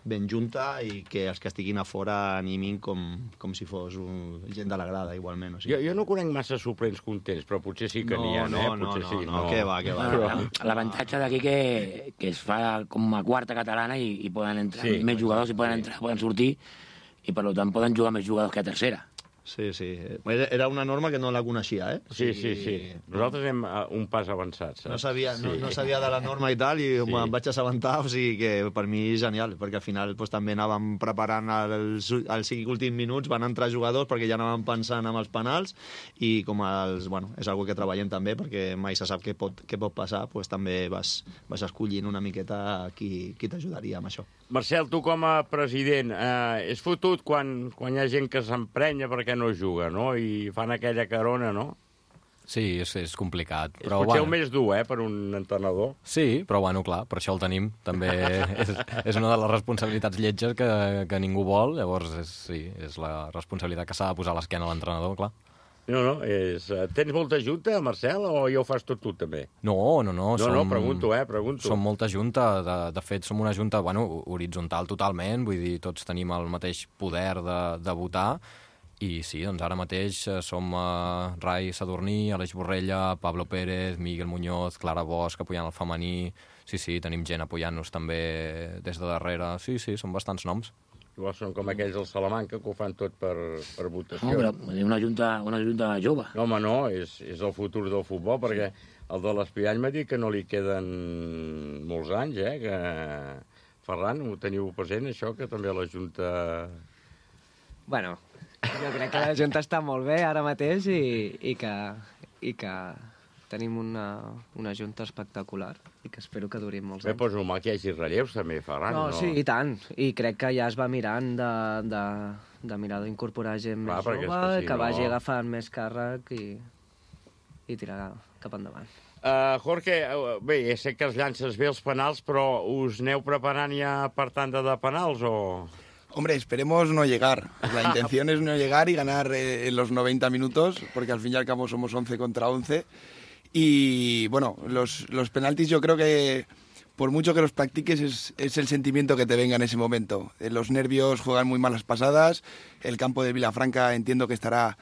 S12: ben junta i que els que estiguin a fora animin com, com si fos un, gent de la grada, igualment. O sigui.
S2: Jo, jo no conec massa suplents contents, però potser sí que
S12: No,
S2: n'hi ha,
S12: no,
S2: eh?
S12: no,
S2: Potser
S12: no,
S2: sí,
S12: no, què va, què va.
S3: Bueno, L'avantatge d'aquí que, que es fa com a quarta catalana i, i poden entrar
S2: Sí.
S3: sí, més jugadors, i poden entrar, poden sortir, i per tant poden jugar més jugadors que a tercera.
S12: Sí, sí. Era una norma que no la coneixia, eh?
S2: Sí, sí, sí. Nosaltres anem a un pas avançat, saps?
S12: No sabia, no,
S2: Sí.
S12: no sabia de la norma i tal, i sí. Me'n vaig assabentar, o sigui que per mi és genial, perquè al final pues, també anàvem preparant els, els cinc últims minuts, van entrar jugadors perquè ja anàvem pensant amb els penals, i com els, bueno, és algo que treballem també, perquè mai se sap què pot, què pot passar, pues, també vas, vas escollint una miqueta qui, qui t'ajudaria amb això.
S2: Marcel, tu com a president, eh, és fotut quan, quan hi ha gent que s'emprenya perquè no juga, no? I fan aquella carona, no?
S9: Sí, és, és complicat.
S2: És
S9: Però,
S2: potser
S9: bueno,
S2: el més dur, eh, per un entrenador.
S9: Sí, però bueno, clar, per això el tenim. També és, és una de les responsabilitats lletges que, que ningú vol, llavors és, sí, és la responsabilitat que s'ha de posar a l'esquena a l'entrenador, clar.
S2: No, no, és... Tens molta junta, Marcel, o ja ho fas tot tu, també?
S9: No, no, no.
S2: No,
S9: som,
S2: no, pregunto, eh, pregunto.
S9: Som molta junta, de, de fet som una junta, bueno, horitzontal totalment, vull dir, tots tenim el mateix poder de, de votar, i sí, doncs ara mateix som uh, Rai Sadurní, Aleix Borrella, Pablo Pérez, Miguel Muñoz, Clara Bosch, apoyant el femení, sí, sí, tenim gent apoyant-nos també des de darrere, sí, sí, són bastants noms.
S2: Igual són com aquells del Salamanca, que ho fan tot per, per votació.
S3: No, però una junta, una junta jove.
S2: No, home, no, és, és el futur del futbol, perquè el de l'Espiall m'ha dit que no li queden molts anys, eh? Que... Ferran, ho teniu present, això, que també la Junta...
S11: Bueno, jo crec que la Junta està molt bé ara mateix i, i, que, i que tenim una, una Junta espectacular i que espero que duri molts
S2: Bé,
S11: anys.
S2: doncs normal que hi hagi relleus, també, Ferran,
S11: No,
S2: no?
S11: sí, i tant. I crec que ja es va mirant de, de, de mirar d'incorporar gent
S2: Clar,
S11: més
S2: perquè és
S11: jove,
S2: que
S11: que,
S2: si
S11: que
S2: no-
S11: vagi agafant més càrrec i, i tirar cap endavant.
S2: Uh, Jorge, uh, bé, ja sé que els llances bé els penals, però us aneu preparant ja per tanda de penals o...?
S15: Hombre, esperemos no llegar. La intención es no llegar y ganar eh, en los noventa minutos, porque al fin y al cabo somos once contra once. Y bueno, los, los penaltis yo creo que por mucho que los practiques es, es el sentimiento que te venga en ese momento. Eh, los nervios juegan muy malas pasadas, el campo de Vilafranca entiendo que estará,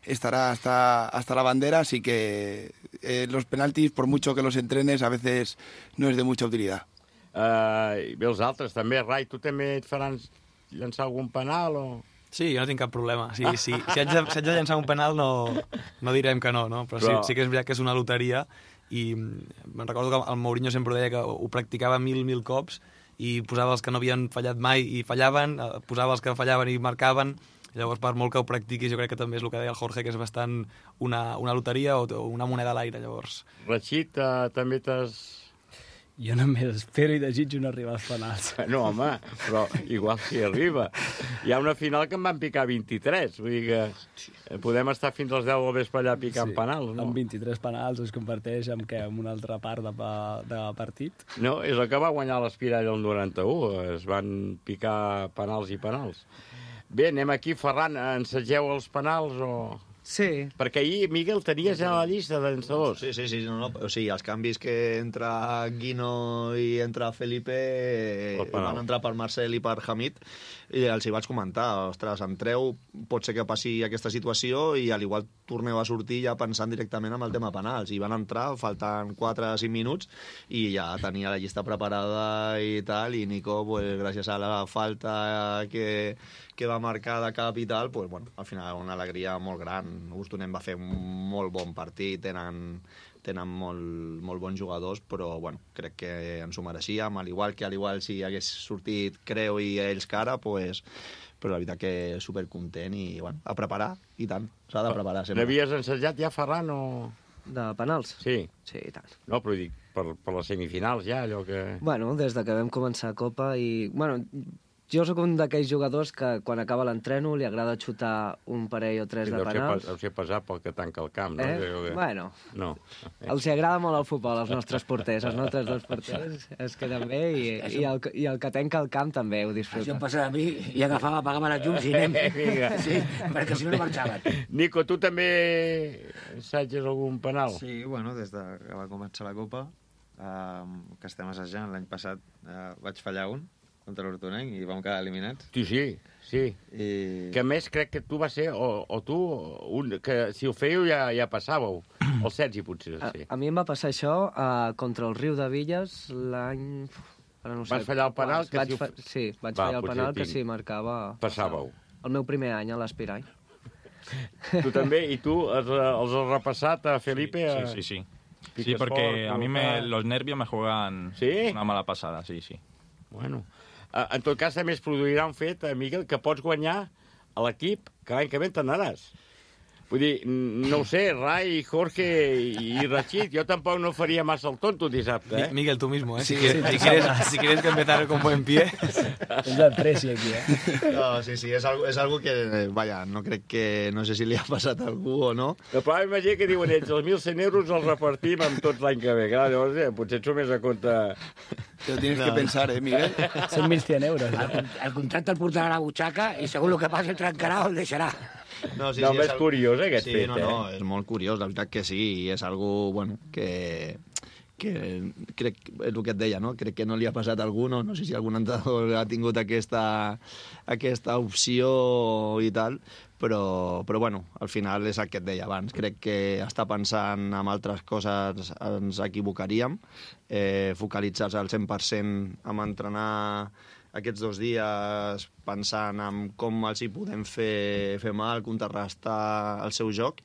S15: estará hasta, hasta la bandera, así que eh, los penaltis, por mucho que los entrenes, a veces no es de mucha utilidad.
S2: Uh, I bé, els altres també. Rai, tu també et faran llançar algun penal o...?
S10: Sí, jo no tinc cap problema. Sí, sí. Si, haig de, si haig de llançar un penal no, no direm que no, no? Però, Però... Sí, sí que és veritat que és una loteria i me'n recordo que el Mourinho sempre deia que ho practicava mil, mil cops i posava els que no havien fallat mai i fallaven, posava els que fallaven i marcaven. Llavors, per molt que ho practiquis, jo crec que també és el que deia el Jorge, que és bastant una, una loteria o una moneda a l'aire, llavors.
S2: Rachid, uh, també t'has...
S16: Jo només espero i desitjo no arribar als penals.
S2: No, home, però igual si arriba. Hi ha una final que en van picar vint-i-tres, vull dir que podem estar fins als deu del vespre allà picant sí, penals, no?
S16: Amb vint-i-tres penals es converteix en, què, en una altra part de, de partit.
S2: No, és el que va guanyar l'Espirall el noranta-u, es van picar penals i penals. Bé, anem aquí, Ferran, ensageu els penals o...?
S11: Sí.
S2: Perquè ahir, Miguel, tenies ja la llista de llançadors.
S12: Sí, sí, sí, no, no. O sigui, els canvis que entra Guino i entra Felipe eh, van entrar per Marcel i per Hamid, i els hi vaig comentar, ostres, entreu, pot ser que passi aquesta situació i al igual torneu a sortir ja pensant directament en el tema penals. I van entrar, faltant quatre o cinc minuts, i ja tenia la llista preparada i tal, i Nico, pues, gràcies a la falta que, que va marcar de cap i tal, pues, bueno, al final una alegria molt gran. Houston va fer un molt bon partit, tenen, tenen molt, molt bons jugadors, però bueno, crec que ens ho mereixíem, al igual que al igual si hagués sortit Creu i ells cara, pues, però la veritat que supercontent i bueno, a preparar, i tant, s'ha de preparar sempre.
S2: N'havies ensajat ja, Ferran, o...?
S11: De penals?
S2: Sí.
S11: Sí, i tant.
S2: No, però dic, per, per les semifinals ja, allò que...
S11: Bueno, des de que vam començar Copa i... Bueno, jo sóc un d'aquells jugadors que quan acaba l'entreno li agrada xutar un parell o tres
S2: sí,
S11: de penals.
S2: Deu ser pesat pel que tanca el camp, no?
S11: Eh?
S2: Que...
S11: Bueno,
S2: no.
S11: Els agrada molt el futbol, als nostres porters. Els nostres dos porters es queden bé i, i, el, i el que tanca el camp també ho disfruta.
S3: Això em passava a mi i agafava, apagava les llums i anem. Sí, perquè si no no marxaven.
S2: Nico, tu també assages algun penal?
S13: Sí, bueno, des de que va començar la Copa, eh, que estem assajant, l'any passat eh, vaig fallar un, contra l'Hortonenc i vam quedar eliminats.
S2: Sí, sí, sí.
S13: I...
S2: Que a més crec que tu va ser, o, o tu, un, que si ho fèieu ja, ja passàveu. El Sergi potser, sí.
S11: A, a mi em va passar això uh, contra el Riu de Villes l'any... No sé,
S2: vas fallar el penal? Que
S11: vaig
S2: si ho...
S11: fa... Sí, vaig
S2: va,
S11: fallar el penal que sí marcava...
S2: Passàveu.
S11: El meu primer any a l'Espirall.
S2: Tu també? I tu els, els has repassat a Felipe? A...
S14: Sí, sí, sí. Sí, porque a mí me, los nervios me juegan
S2: ¿Sí?
S14: una mala pasada, sí, sí.
S2: Bueno, en tot cas també es produirà un fet, Miguel, que pots guanyar a l'equip que l'any que ve t'anaràs. Vull dir, no ho sé, Rai, Jorge y Rachid, yo tampoco no faría más el tonto dissabte, ¿eh?
S10: Miguel, tú mismo, ¿eh?
S2: Sí,
S10: si, quieres,
S2: sí,
S10: si, quieres, si quieres que empezar con buen pie.
S16: Es la presi aquí, ¿eh?
S12: No, sí, sí, és algo, és algo que, eh, vaja, no crec que... No sé si li ha passat a algú o no.
S2: El problema és que diuen ells, els mil cent euros els repartim amb tots l'any que ve. Clar, llavors, eh, potser ets més a compte...
S15: Te lo tienes no. que pensar, ¿eh, Miguel?
S16: Son mil cien euros.
S3: El, el contracte el portarà a la butxaca i segur el que passi el trencarà o el deixarà.
S12: No, sí,
S2: no
S12: sí,
S2: és, és curiós, eh, aquest
S12: sí,
S2: fet,
S12: no, no,
S2: eh?
S12: és molt curiós, la veritat que sí, i és algo, bueno, que, que crec, és el que et deia, no? Crec que no li ha passat a algú, no, no sé si algun entrenador ha tingut aquesta, aquesta opció i tal, però, però bueno, al final és el que et deia abans, crec que estar pensant en altres coses ens equivocaríem, eh, focalitzar-se al cent per cent en entrenar aquests dos dies pensant en com els hi podem fer, fer mal, contrarrestar el seu joc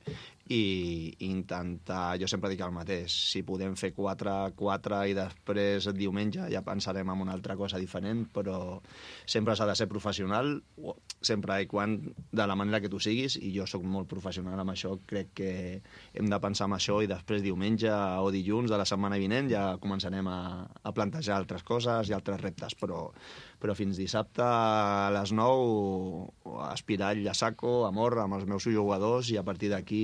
S12: i intentar, jo sempre dic el mateix, si podem fer quatre quatre i després el diumenge ja pensarem en una altra cosa diferent, però sempre s'ha de ser professional, sempre i quan de la manera que tu siguis, i jo sóc molt professional amb això, crec que hem de pensar en això i després diumenge o dilluns de la setmana vinent ja començarem a, a plantejar altres coses i altres reptes, però, però fins dissabte a les nou Espirall a saco, amor amb els meus jugadors i a partir d'aquí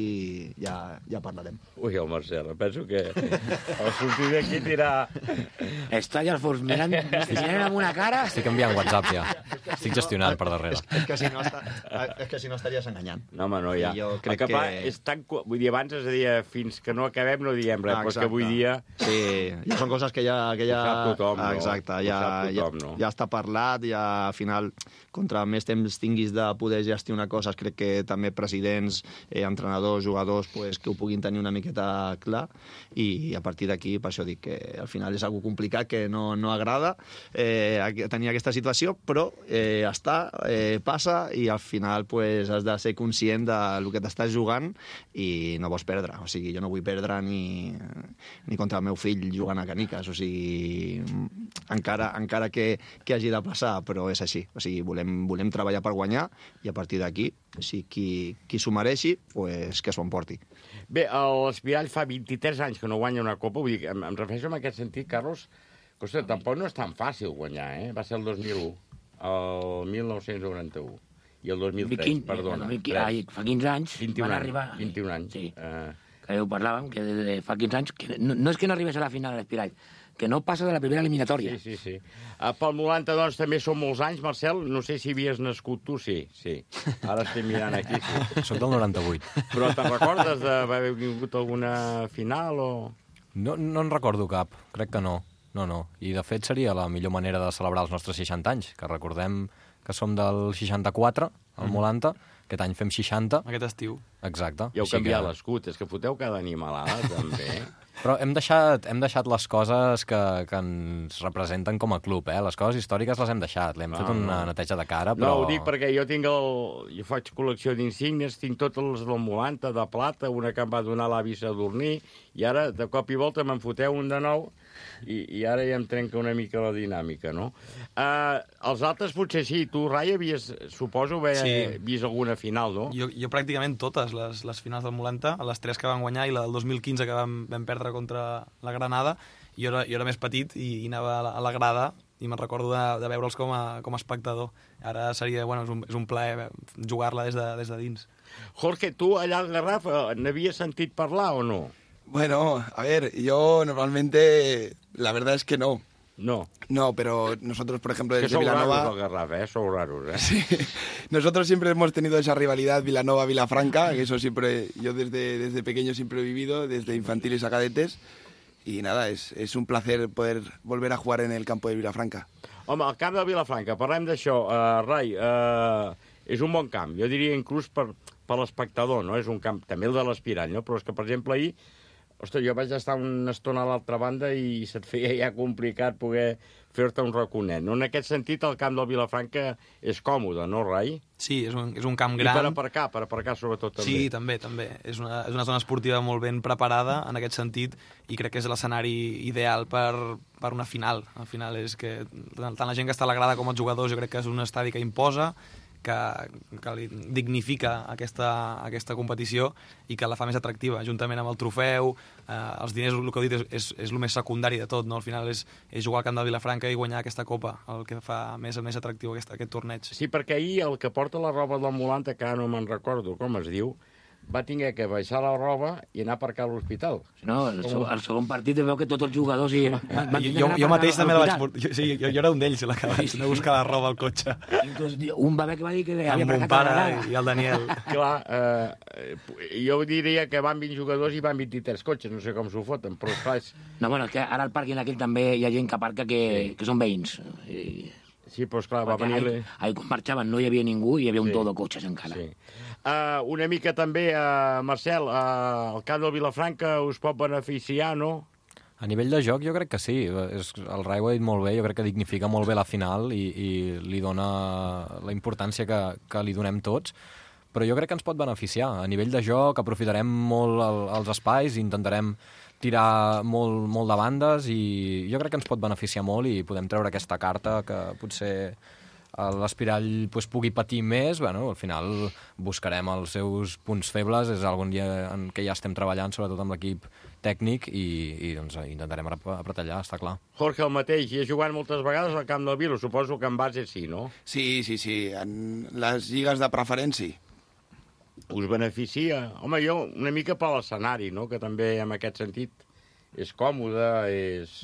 S12: ja, ja parlarem.
S2: Ui, el Marcel, penso que el sortir d'aquí dirà...
S3: Està allà al fons mirant, mirant amb una cara...
S9: Estic enviant WhatsApp ja. Estic gestionant per darrere.
S12: És, és, que, si no està, és que si no estaries enganyant.
S2: No, home, no, ja.
S12: I jo crec
S2: que... que... És tan... Vull dir, abans es deia fins que no acabem no diem res, ah, però és que avui dia...
S12: Sí, ja són coses que ja... Que ja...
S2: Ho sap tothom, no?
S12: Exacte, ja,
S2: tothom, no?
S12: ja, ja està parlat, ja al final, contra més temps tinguis de poder gestionar coses, crec que també presidents, eh, entrenadors, jugadors, pues, que ho puguin tenir una miqueta clar, i a partir d'aquí, per això dic que al final és algo complicat, que no, no agrada eh, tenir aquesta situació, però eh, està, eh, passa, i al final pues, has de ser conscient del que t'estàs jugant i no vols perdre. O sigui, jo no vull perdre ni, ni contra el meu fill jugant a caniques, o sigui, encara, encara que, que hagi de passar, però és així. O sigui, volem, volem treballar per guanyar i a partir d'aquí, si qui, qui s'ho mereixi, pues, que s'ho emporti.
S2: Bé, l'Espirall fa vint-i-tres anys que no guanya una copa, vull dir, em, em refereixo en aquest sentit, Carlos, que ostres, tampoc no és tan fàcil guanyar, eh? Va ser el dos mil u, el mil nou-cents noranta-u, i el dos mil tres,
S3: quinze,
S2: perdona.
S3: Ai, fa quinze anys
S2: vint-i-un
S3: van
S2: anys,
S3: arribar...
S2: vint-i-un anys.
S3: Sí,
S2: uh...
S3: que ho parlàvem, que de, de fa quinze anys, que no, no és que no arribés a la final a l'Espirall, que no passa de la primera eliminatòria.
S2: Sí, sí, sí. Uh, pel noranta, doncs, també són molts anys, Marcel. No sé si havies nascut tu, sí, sí. Ara estem mirant aquí, sí.
S9: Soc del noranta-vuit.
S2: Però te'n recordes d'haver vingut alguna final o...?
S9: No, no en recordo cap, crec que no. No, no. I, de fet, seria la millor manera de celebrar els nostres seixanta anys, que recordem que som del seixanta-quatre, al Molanta, aquest any fem seixanta.
S10: Aquest estiu.
S9: Exacte.
S2: I heu canviat que... l'escut, és que foteu cada animalada, també.
S9: Però hem deixat, hem deixat les coses que, que ens representen com a club, eh? Les coses històriques les hem deixat, l'hem no, fet una no. neteja de cara, però...
S2: No, ho dic perquè jo tinc el... Jo faig col·lecció d'insignes, tinc tots els del Molanta, de plata, una que em va donar l'avi Sadurní, i ara, de cop i volta, me'n foteu un de nou, i, i ara ja em trenca una mica la dinàmica, no? Uh, els altres potser sí. Tu, Rai, havies, suposo, haver sí. vist alguna final, no?
S10: Jo, jo pràcticament totes les, les finals del Molanta, les tres que van guanyar i la del dos mil quinze que vam, vam perdre contra la Granada. Jo era, jo era més petit i, i anava a la, a la grada i me'n recordo de, de veure'ls com a, com a espectador. Ara seria, bueno, és un, és un plaer jugar-la des, de, des de dins.
S2: Jorge, tu allà al Garraf n'havies sentit parlar o no?
S15: Bueno, a ver, yo normalmente, la verdad es que no.
S2: No.
S15: No, pero nosotros, por ejemplo, desde
S2: que son
S15: Vilanova...
S2: raros, Garraf, ¿eh? Son raros, ¿eh?
S15: Sí. Nosotros siempre hemos tenido esa rivalidad Vilanova-Vilafranca, que eso siempre, yo desde, desde pequeño siempre he vivido, desde infantiles a cadetes, y nada, es, es un placer poder volver a jugar en el campo de Vilafranca.
S2: Home, el camp de Vilafranca, parlem d'això. Uh, Rai, uh, és un bon camp. Jo diria inclús per, per l'espectador, no? És un camp, també el de l'Espirall, no? Però és que, per exemple, ahir... Ostres, jo vaig estar una estona a l'altra banda i se't feia ja complicat poder fer-te un raconet. No? En aquest sentit, el camp del Vilafranca és còmode, no, Rai?
S10: Sí, és un, és un camp gran.
S2: I per aparcar, per aparcar sobretot també.
S10: Sí, també, també. És una, és una zona esportiva molt ben preparada en aquest sentit i crec que és l'escenari ideal per, per una final. Al final és que tant la gent que està a la grada com els jugadors jo crec que és un estadi que imposa, que, que li dignifica aquesta, aquesta competició i que la fa més atractiva, juntament amb el trofeu, eh, els diners, el que heu dit, és, és, és el més secundari de tot, no? Al final és, és jugar al camp de Vilafranca i guanyar aquesta copa, el que fa més més atractiu aquest, aquest torneig.
S2: Sí, perquè ahir el que porta la roba del Molanta, que ara no me'n recordo com es diu, va tenir que baixar la roba i anar a aparcar a l'hospital.
S3: No, el, segon, el segon partit veu que tots els jugadors... I,
S10: van jo, jo mateix també la vaig portar. Jo, sí, jo, jo era un d'ells, la que vaig anar a buscar la roba al cotxe.
S3: Un va haver que va dir que havia
S10: amb mon pare i el Daniel.
S2: Clar, eh, jo diria que van vint jugadors i van vint-i-tres cotxes, no sé com s'ho foten, però clar... És...
S3: No, bueno, és que ara al pàrquing aquell també hi ha gent que aparca que, sí. que són veïns. I...
S2: Sí, però esclar, va venir...
S3: Ahir, ahir quan marxaven no hi havia ningú i hi havia un sí. tot de cotxes encara.
S2: Sí. Uh, una mica també, uh, Marcel, uh, el camp del Vilafranca us pot beneficiar, no?
S9: A nivell de joc jo crec que sí. És, el Rai ho ha dit molt bé, jo crec que dignifica molt bé la final i, i li dona la importància que, que li donem tots, però jo crec que ens pot beneficiar. A nivell de joc aprofitarem molt el, els espais i intentarem tirar molt, molt de bandes i jo crec que ens pot beneficiar molt i podem treure aquesta carta que potser l'Espirall pues, pugui patir més. Bueno, al final buscarem els seus punts febles, és algun dia en què ja estem treballant, sobretot amb l'equip tècnic, i, i doncs, intentarem apretar allà, està clar.
S2: Jorge, el mateix, i has jugat moltes vegades al camp del Vilo, suposo que en base sí, no?
S15: Sí, sí, sí, en les lligues de preferència.
S2: Us beneficia? Home, jo una mica per l'escenari, no? Que també en aquest sentit és còmode, és...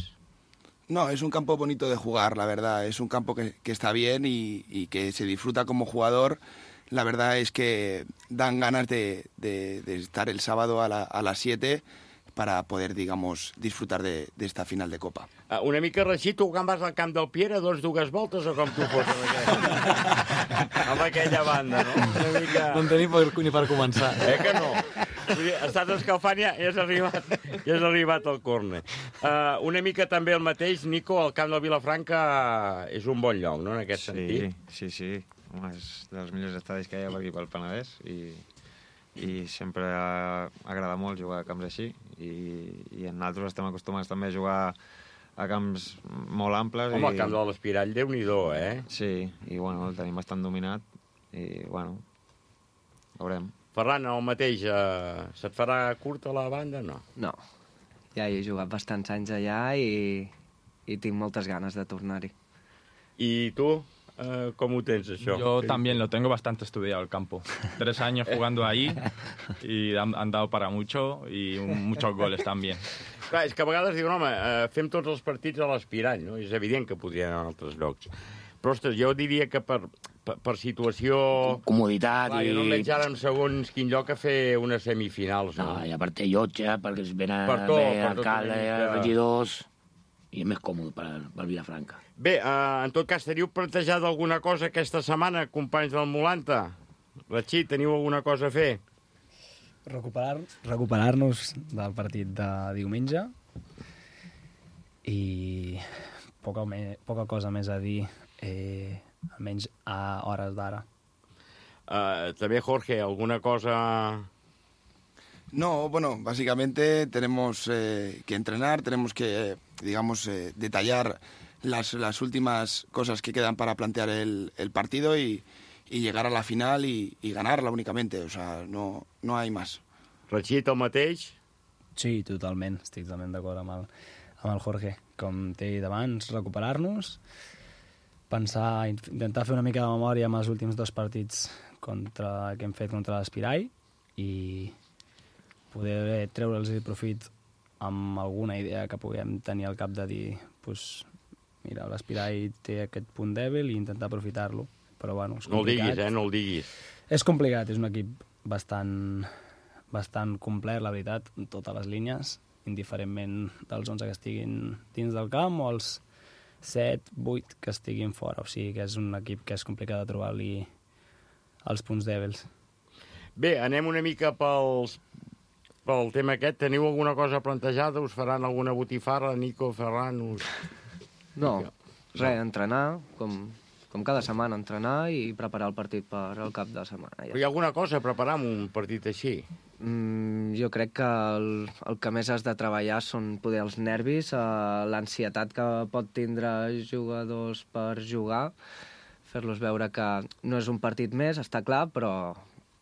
S15: No, es un campo bonito de jugar, la verdad. Es un campo que, que está bien y, y que se disfruta como jugador. La verdad es que dan ganas de, de, de estar el sábado a, la, a las siete para poder, digamos, disfrutar de, de esta final de Copa.
S2: Uh, una mica reixit, tu quan vas al camp del Piera, doncs dues voltes o com tu fos amb aquella, amb aquella banda, no? Una mica...
S10: No en tenim per, ni per començar.
S2: Eh que no? Vull dir, estàs escalfant i ja, ja has arribat, ja has arribat al córner. Uh, una mica també el mateix, Nico, el camp del Vilafranca és un bon lloc, no?, en aquest
S13: sí,
S2: sentit.
S13: Sí, sí, sí. Home, és dels millors estadis que hi ha per aquí pel Penedès i, i sempre agrada molt jugar a camps així i, i nosaltres estem acostumats també a jugar a camps molt amples.
S2: Home,
S13: i...
S2: el camp de l'Espirall, Déu-n'hi-do, eh?
S13: Sí, i bueno, el tenim bastant dominat i bueno, veurem.
S2: Ferran, el mateix, eh, se't farà curta la banda, no?
S11: No, ja he jugat bastants anys allà i, i tinc moltes ganes de tornar-hi.
S2: I tu, eh, com ho tens, això?
S14: Yo también lo tengo bastante estudiado el campo. Tres años jugando ahí y han, han dado para mucho y un, muchos goles también.
S2: Clar, és que a vegades diuen, home, eh, fem tots els partits a l'Espirall, no? És evident que podrien anar a altres llocs. Però, ostres, jo diria que per, per, per situació...
S3: Comoditat
S2: clar,
S3: i...
S2: jo no em veig ara en segons quin lloc a fer unes semifinals, no?
S3: No, i a part té llotja, perquè es ven a,
S2: Per tot,
S3: ve
S2: per tot
S3: alcalde,
S2: una mica.
S3: regidors... I és més còmode per, per Vilafranca.
S2: Bé, eh, en tot cas, teniu plantejat alguna cosa aquesta setmana, companys del Molanta? Rachid, teniu alguna cosa a fer?
S16: Recuperar, recuperar-nos del partit de diumenge i poca, me, poca cosa més a dir, eh, almenys a hores d'ara.
S2: Uh, també, Jorge, alguna cosa...
S15: No, bueno, básicamente tenemos eh, que entrenar, tenemos que, eh, digamos, eh, detallar las, las últimas cosas que quedan para plantear el, el partido y, y llegar a la final y, y ganarla únicamente, o sea, no, no hay más.
S2: Rachid, el mateix?
S16: Sí, totalment, estic totalment d'acord amb, el, amb el Jorge. Com t'he dit abans, recuperar-nos, pensar, intentar fer una mica de memòria amb els últims dos partits contra, que hem fet contra l'Espirall i poder treure'ls el profit amb alguna idea que puguem tenir al cap de dir, pues, mira, l'Espirall té aquest punt dèbil i intentar aprofitar-lo. Però, bueno, és complicat.
S2: No el diguis, eh? No el diguis.
S16: És complicat, és un equip bastant, bastant complet, la veritat, en totes les línies, indiferentment dels onze que estiguin dins del camp o els set, vuit que estiguin fora. O sigui que és un equip que és complicat de trobar-li els punts dèbils.
S2: Bé, anem una mica pels, pel tema aquest. Teniu alguna cosa plantejada? Us faran alguna botifarra? Nico, Ferran? Us...
S11: No, res, entrenar, com, com cada setmana, entrenar i preparar el partit per al cap de setmana. Ja.
S2: Però hi ha alguna cosa a preparar amb un partit així?
S11: Mm, jo crec que el, el que més has de treballar són poder els nervis, eh, l'ansietat que pot tindre jugadors per jugar, fer-los veure que no és un partit més, està clar, però,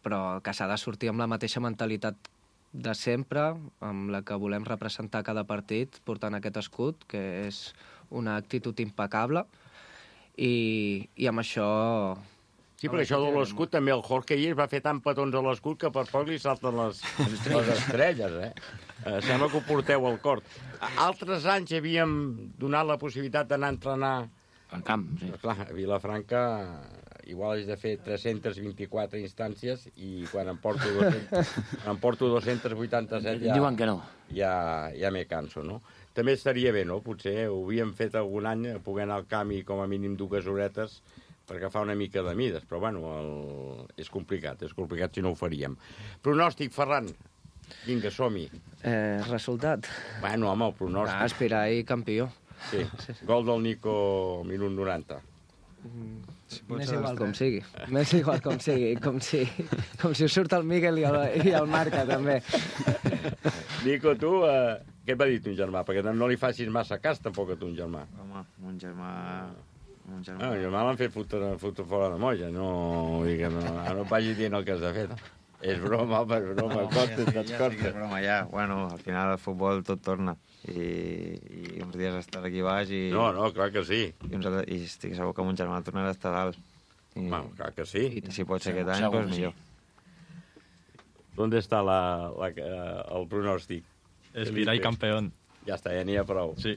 S11: però que s'ha de sortir amb la mateixa mentalitat de sempre, amb la que volem representar cada partit, portant aquest escut, que és una actitud impecable, i, i amb això...
S2: Sí, perquè això de l'escut també el Jorge ahir va fer tant petons a l'escut que per poc li salten les, les estrelles, eh? eh? Sembla que ho porteu al cor. Altres anys havíem donat la possibilitat d'anar a entrenar...
S3: Al camp, sí.
S2: Clar, a Vilafranca igual és de fer tres-centes vint-i-quatre instàncies i quan em porto, dos-centes, em porto dos-centes vuitanta-set ja...
S3: Diuen que no.
S2: Ja, ja me canso, no? També estaria bé, no? Potser ho havíem fet algun any, poder anar al camp i com a mínim dues horetes per agafar una mica de mides, però bueno, el... és complicat, és complicat si no ho faríem. Pronòstic, Ferran, vinga, som-hi.
S11: Eh, resultat?
S2: Bueno, home, el pronòstic...
S11: Ah, aspirar i campió.
S2: Sí, gol del Nico, minut noranta.
S11: Si Més igual com sigui. Més igual com sigui, com si, com si us surt el Miquel i el, i el marca, també.
S2: Nico, tu, eh, què et va dir ton germà? Perquè no li facis massa cas, tampoc, a ton germà.
S13: Home, un germà... Un germà...
S2: Ah, el germà l'han fet fotre, fotre fora de molla, no, vull dir que no, no et vagi dient el que has de fer. És broma, home, és broma, no, comptes, ja, ja,
S13: ja, és broma, ja. Bueno, al final el futbol tot torna. I, i uns dies estàs aquí baix i...
S2: No, no, clar que sí.
S13: I, uns, i estic segur que mon germà tornarà a estar dalt. I,
S2: bueno, clar que sí.
S13: I si pot ser aquest any, doncs pues, millor.
S2: ¿Dónde está la, la, el pronòstic?
S14: Espirall campeón.
S2: Ja està, ja n'hi ha prou.
S14: Sí.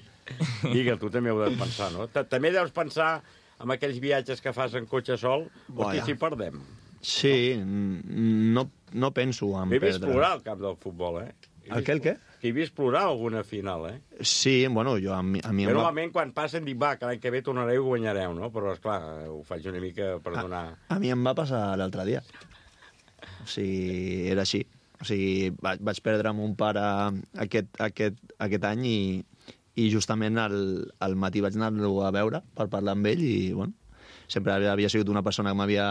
S2: Miguel, tu també ho deus pensar, no? També deus pensar en aquells viatges que fas en cotxe sol, o que si perdem.
S12: Sí, no, no penso en
S2: perdre. He vist
S12: perdre.
S2: plorar al camp del futbol, eh?
S12: El què, el què?
S2: Que he vist plorar alguna final, eh?
S12: Sí, bueno, jo a mi... A mi
S2: Però
S12: va...
S2: normalment quan passen dic, va, que l'any que ve tornareu i guanyareu, no? Però, esclar, ho faig una mica per donar...
S12: A, a mi em va passar l'altre dia. O sigui, era així. O sigui, vaig, vaig perdre amb un pare aquest, aquest, aquest any i, i justament al, al matí vaig anar-lo a veure per parlar amb ell i, bueno, sempre havia sigut una persona que m'havia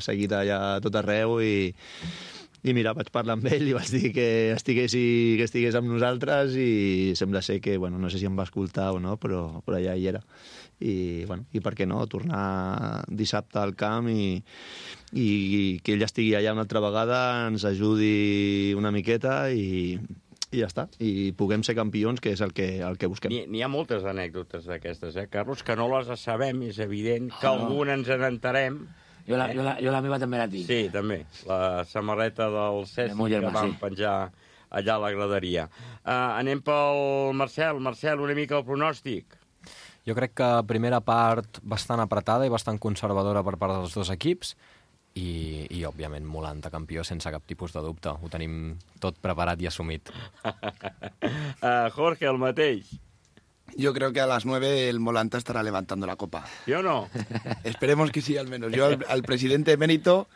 S12: seguit allà a tot arreu i, i mira, vaig parlar amb ell i vaig dir que estigués, que estigués amb nosaltres i sembla ser que, bueno, no sé si em va escoltar o no, però, però allà hi era. I, bueno, i per què no, tornar dissabte al camp i, i, i que ell estigui allà una altra vegada, ens ajudi una miqueta i, i ja està. I puguem ser campions, que és el que, el que busquem.
S2: N'hi ha moltes anècdotes d'aquestes, eh, Carlos, que no les sabem, és evident, que oh, alguna ens n'entarem.
S3: Jo la, eh? jo, la, jo la meva també la tinc.
S2: Sí, també. La samarreta del Cesc que vam sí. penjar allà a la graderia. Uh, anem pel Marcel. Marcel, una mica el pronòstic.
S9: Jo crec que primera part bastant apretada i bastant conservadora per part dels dos equips i, i òbviament, Molanta campió sense cap tipus de dubte. Ho tenim tot preparat i assumit.
S2: uh, Jorge, el mateix.
S15: Yo creo que a las nueve el Molanta estará levantando la copa.
S2: ¿Yo no?
S15: Esperemos que sí, al menos. Yo al, al presidente emérito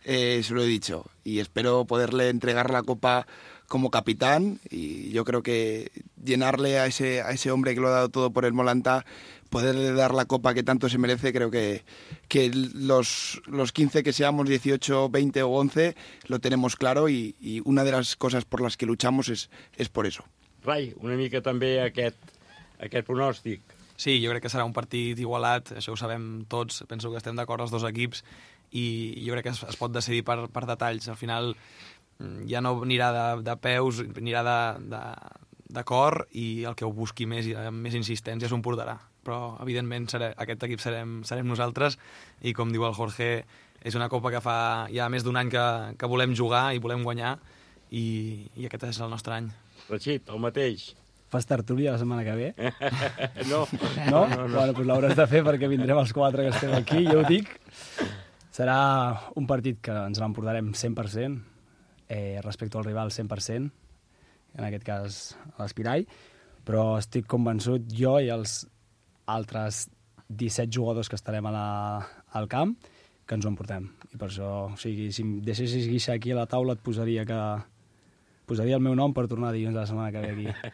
S15: eh, se lo he dicho y espero poderle entregar la copa como capitán y yo creo que llenarle a ese, a ese hombre que lo ha dado todo por el Molanta, poderle dar la copa que tanto se merece, creo que, que los, los quince que seamos, dieciocho, veinte o once, lo tenemos claro y, y una de las cosas por las que luchamos es, es por eso.
S2: Rai, una mica també aquest, aquest pronòstic.
S10: Sí, jo crec que serà un partit igualat, això ho sabem tots, penso que estem d'acord els dos equips i jo crec que es, es pot decidir per, per detalls. Al final ja no anirà de, de peus, anirà de, de, de cor i el que ho busqui més i amb més insistència s'ho emportarà. Però, evidentment, seré, aquest equip serem, serem nosaltres i, com diu el Jorge, és una copa que fa ja més d'un any que, que volem jugar i volem guanyar i, i aquest és el nostre any.
S2: Rachid, el mateix.
S16: Fas tertúlia la setmana que ve?
S2: no.
S16: No? no, no. Bueno, doncs l'hauràs de fer perquè vindrem els quatre que estem aquí, jo ho dic. Serà un partit que ens l'emportarem cent per cent, eh, respecte al rival cent per cent, en aquest cas l'Espirall, però estic convençut jo i els altres disset jugadors que estarem a la, al camp que ens ho emportem. I per això, o sigui, si em deixessis guixar aquí a la taula et posaria que posaria el meu nom per tornar dilluns la setmana que ve aquí.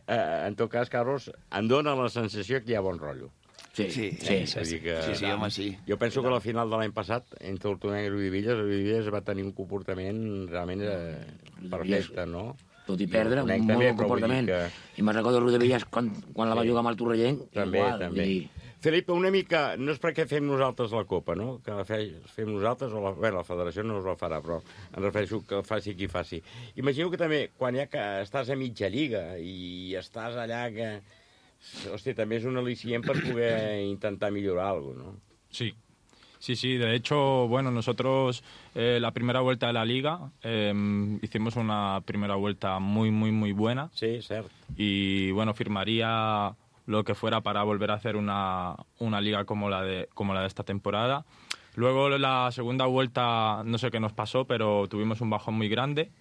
S2: En tot cas, Carlos, em dóna la sensació que hi ha bon rotllo.
S3: Sí, sí, sí, sí,
S2: sí, que,
S15: sí, sí, home, sí.
S2: Jo penso que a la final de l'any passat, entre el Tortosa i Riudevilles, el Riudevilles va tenir un comportament realment eh, perfecte, no?
S3: Tot i perdre, un molt
S2: també,
S3: bon comportament. Que... I me'n recordo Riudevilles quan, quan la va jugar amb el Torrellenc.
S2: També,
S3: igual,
S2: també.
S3: I...
S2: Felipe, una mica, no és perquè fem nosaltres la Copa, no? Que la fem nosaltres, o la, bé, la federació no us la farà, però em refereixo que el faci qui faci. Imagino que també, quan ja que estàs a mitja lliga i estàs allà que... Hòstia, també és un al·licient per poder intentar millorar alguna cosa, ¿no?
S14: Sí, sí, sí. De hecho, bueno, nosotros eh, la primera vuelta de la Liga eh, hicimos una primera vuelta muy, muy, muy buena.
S2: Sí, cierto.
S14: Y, bueno, firmaría lo que fuera para volver a hacer una, una Liga como la, de, como la de esta temporada. Luego, la segunda vuelta, no sé qué nos pasó, pero tuvimos un bajón muy grande.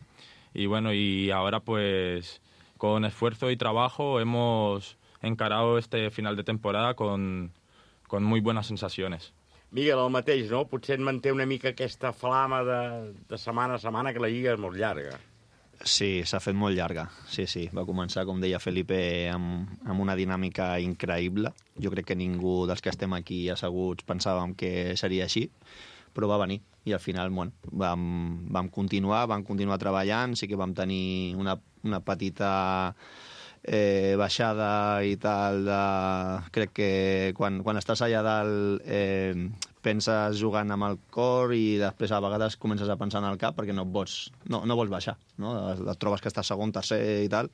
S14: Y, bueno, y ahora, pues, con esfuerzo y trabajo hemos encarado este final de temporada con, con muy buenas sensaciones.
S2: Miguel, el mateix, no? Potser et manté una mica aquesta flama de, de setmana a setmana, que la lliga és molt llarga.
S12: Sí, s'ha fet molt llarga, sí, sí. Va començar, com deia Felipe, amb, amb una dinàmica increïble. Jo crec que ningú dels que estem aquí asseguts pensàvem que seria així, però va venir. I al final, bueno, vam, vam continuar, vam continuar treballant, sí que vam tenir una, una petita... Eh, baixada i tal de... crec que quan, quan estàs allà dalt eh, penses jugant amb el cor i després a vegades comences a pensar en el cap perquè no vols, no, no vols baixar, no? Et trobes que estàs segon, tercer i tal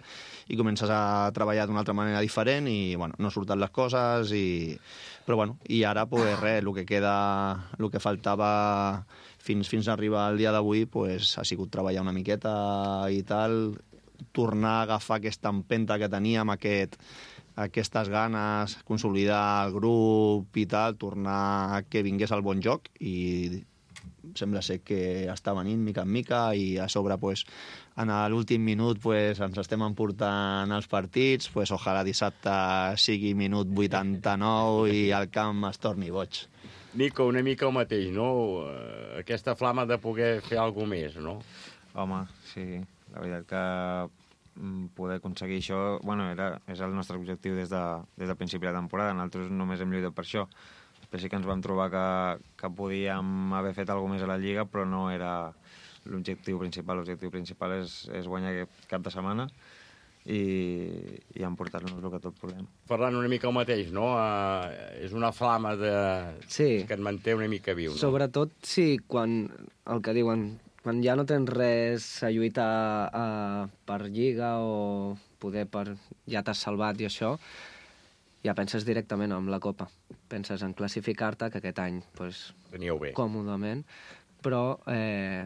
S12: i comences a treballar d'una altra manera diferent i bueno, no surten les coses i... però bueno, i ara pues res, el que queda, el que faltava fins, fins a arribar al dia d'avui pues, ha sigut treballar una miqueta i tal, tornar a agafar aquesta empenta que teníem, aquest, aquestes ganes, consolidar el grup i tal, tornar que vingués el bon joc i sembla ser que està venint mica en mica i a sobre pues, en l'últim minut pues, ens estem emportant els partits, pues, ojalà dissabte sigui minut vuitanta-nou i el camp es torni boig.
S2: Nico, una mica el mateix, no? Aquesta flama de poder fer alguna més, no?
S13: Home, sí. La veritat que poder aconseguir això, bueno, era, és el nostre objectiu des de, des del principi de la temporada. Nosaltres només hem lluitat per això. Després sí que ens vam trobar que, que podíem haver fet alguna més a la Lliga, però no era l'objectiu principal. L'objectiu principal és, és guanyar aquest cap de setmana i, i emportar-nos el que tot podem.
S2: Parlant una mica el mateix, no? Uh, és una flama de...
S11: sí.
S2: que et manté una mica viu, no?
S11: Sobretot, sí, quan el que diuen... quan ja no tens res a lluitar uh, per Lliga o poder per... ja t'has salvat i això, ja penses directament en la Copa. Penses en classificar-te, que aquest any, pues,
S2: veníeu bé.
S11: Còmodament, però eh,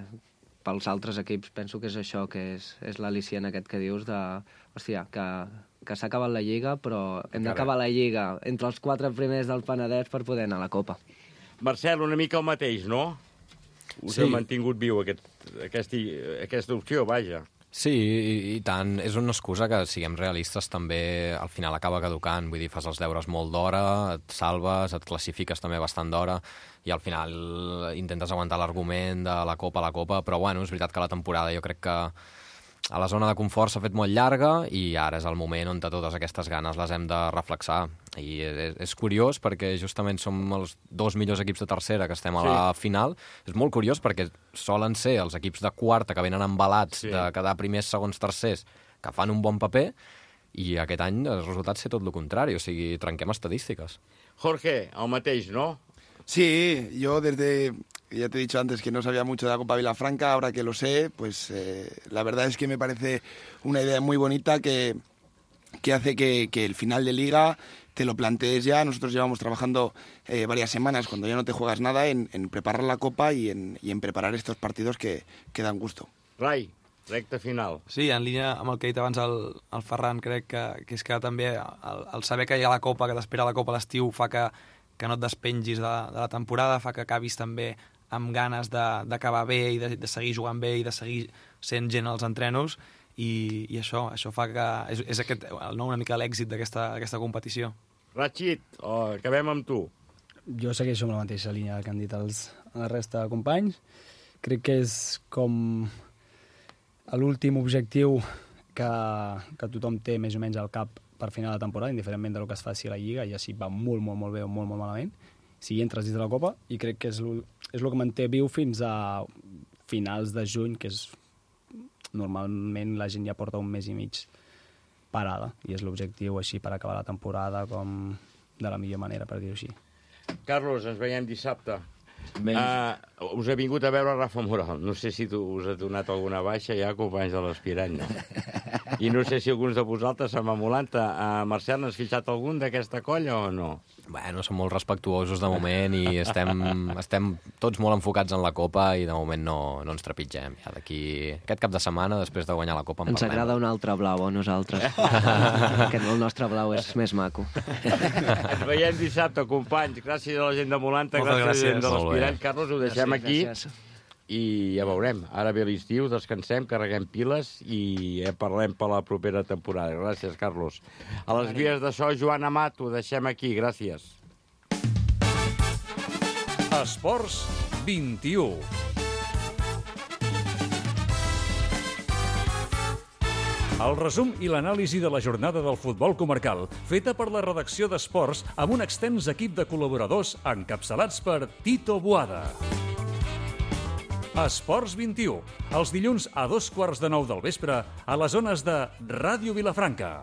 S11: pels altres equips penso que és això, que és, és l'al·licient aquest que dius de, hòstia, que, que s'ha acabat la Lliga, però hem d'acabar la Lliga entre els quatre primers del Penedès per poder anar a la Copa.
S2: Marcel, una mica el mateix, no? Us
S9: Sí.
S2: ha mantingut viu aquest, aquesta, aquesta opció, vaja.
S9: Sí, i, i tant. És una excusa que, siguem realistes, també al final acaba caducant. Vull dir, fas els deures molt d'hora, et salves, et classifiques també bastant d'hora, i al final intentes aguantar l'argument de la Copa a la Copa, però bueno, és veritat que la temporada jo crec que a la zona de confort s'ha fet molt llarga i ara és el moment on totes aquestes ganes les hem de reflexar. I és, és curiós perquè justament som els dos millors equips de tercera que estem a la
S2: Sí.
S9: final. És molt curiós perquè solen ser els equips de quarta que venen embalats
S2: Sí.
S9: de quedar primers, segons, tercers, que fan un bon paper, i aquest any els resultats ser tot el contrari, o sigui, trenquem estadístiques.
S2: Jorge, el mateix, no?
S15: Sí, yo desde, ya te he dicho antes que no sabía mucho de la Copa Vilafranca, ahora que lo sé, pues eh, la verdad es que me parece una idea muy bonita que, que hace que, que el final de liga te lo plantees ya. Nosotros llevamos trabajando eh, varias semanas, cuando ya no te juegas nada, en, en preparar la Copa y en, y en preparar estos partidos que, que dan gusto.
S2: Rai, recta final.
S10: Sí, en línia amb el que ha dit abans el, el Ferran, crec que, que és que també el, el saber que hi ha la Copa, que t'espera la Copa a l'estiu, fa que, que no et despengis de, de la temporada, fa que acabis també amb ganes d'acabar bé i de, de seguir jugant bé i de seguir sent gent als entrenos, i, i això això fa que és, és aquest, no, una mica l'èxit d'aquesta competició.
S2: Rachid, oh, acabem amb tu.
S16: Jo segueixo amb la mateixa línia que han dit els, la resta de companys. Crec que és com l'últim objectiu que, que tothom té més o menys al cap per final de temporada, indiferentment del que es faci a la Lliga, ja si va molt, molt, molt bé o molt, molt malament, si entres dins de la Copa, i crec que és el que manté viu fins a finals de juny, que és normalment la gent ja porta un mes i mig parada, i és l'objectiu així per acabar la temporada com de la millor manera, per dir-ho així.
S2: Carlos, ens veiem dissabte. Uh, us ha vingut a veure Rafa Moral. No sé si tu us ha donat alguna baixa ja, companys de l'Aspirant. No? I no sé si alguns de vosaltres s'han emulant. Uh, Marcel, n'has fitxat algun d'aquesta colla o no?
S9: Bueno, som molt respectuosos de moment i estem, estem tots molt enfocats en la Copa i de moment no, no ens trepitgem. Ja d'aquí aquest cap de setmana, després de guanyar la Copa, en
S11: Ens
S9: parlem.
S11: agrada un altre blau a nosaltres. Que el nostre blau és més maco.
S2: Ens veiem dissabte, companys. Gràcies a la gent de Molanta,
S10: Moltes
S2: gràcies a la gent
S10: gràcies.
S2: de
S9: Molt bé.
S2: l'Aspirant. Carlos, ho deixem
S11: Gràcies,
S2: aquí.
S11: gràcies.
S2: I ja veurem. Ara ve l'estiu, descansem, carreguem piles i ja parlem per la propera temporada. Gràcies, Carlos. A les vies de so, Joan Amat, ho deixem aquí. Gràcies.
S1: Esports vint-i-u. El resum i l'anàlisi de la jornada del futbol comarcal, feta per la redacció d'Esports amb un extens equip de col·laboradors encapçalats per Tito Boada. Esports vint-i-u, els dilluns a dos quarts de nou del vespre a les zones de Ràdio Vilafranca.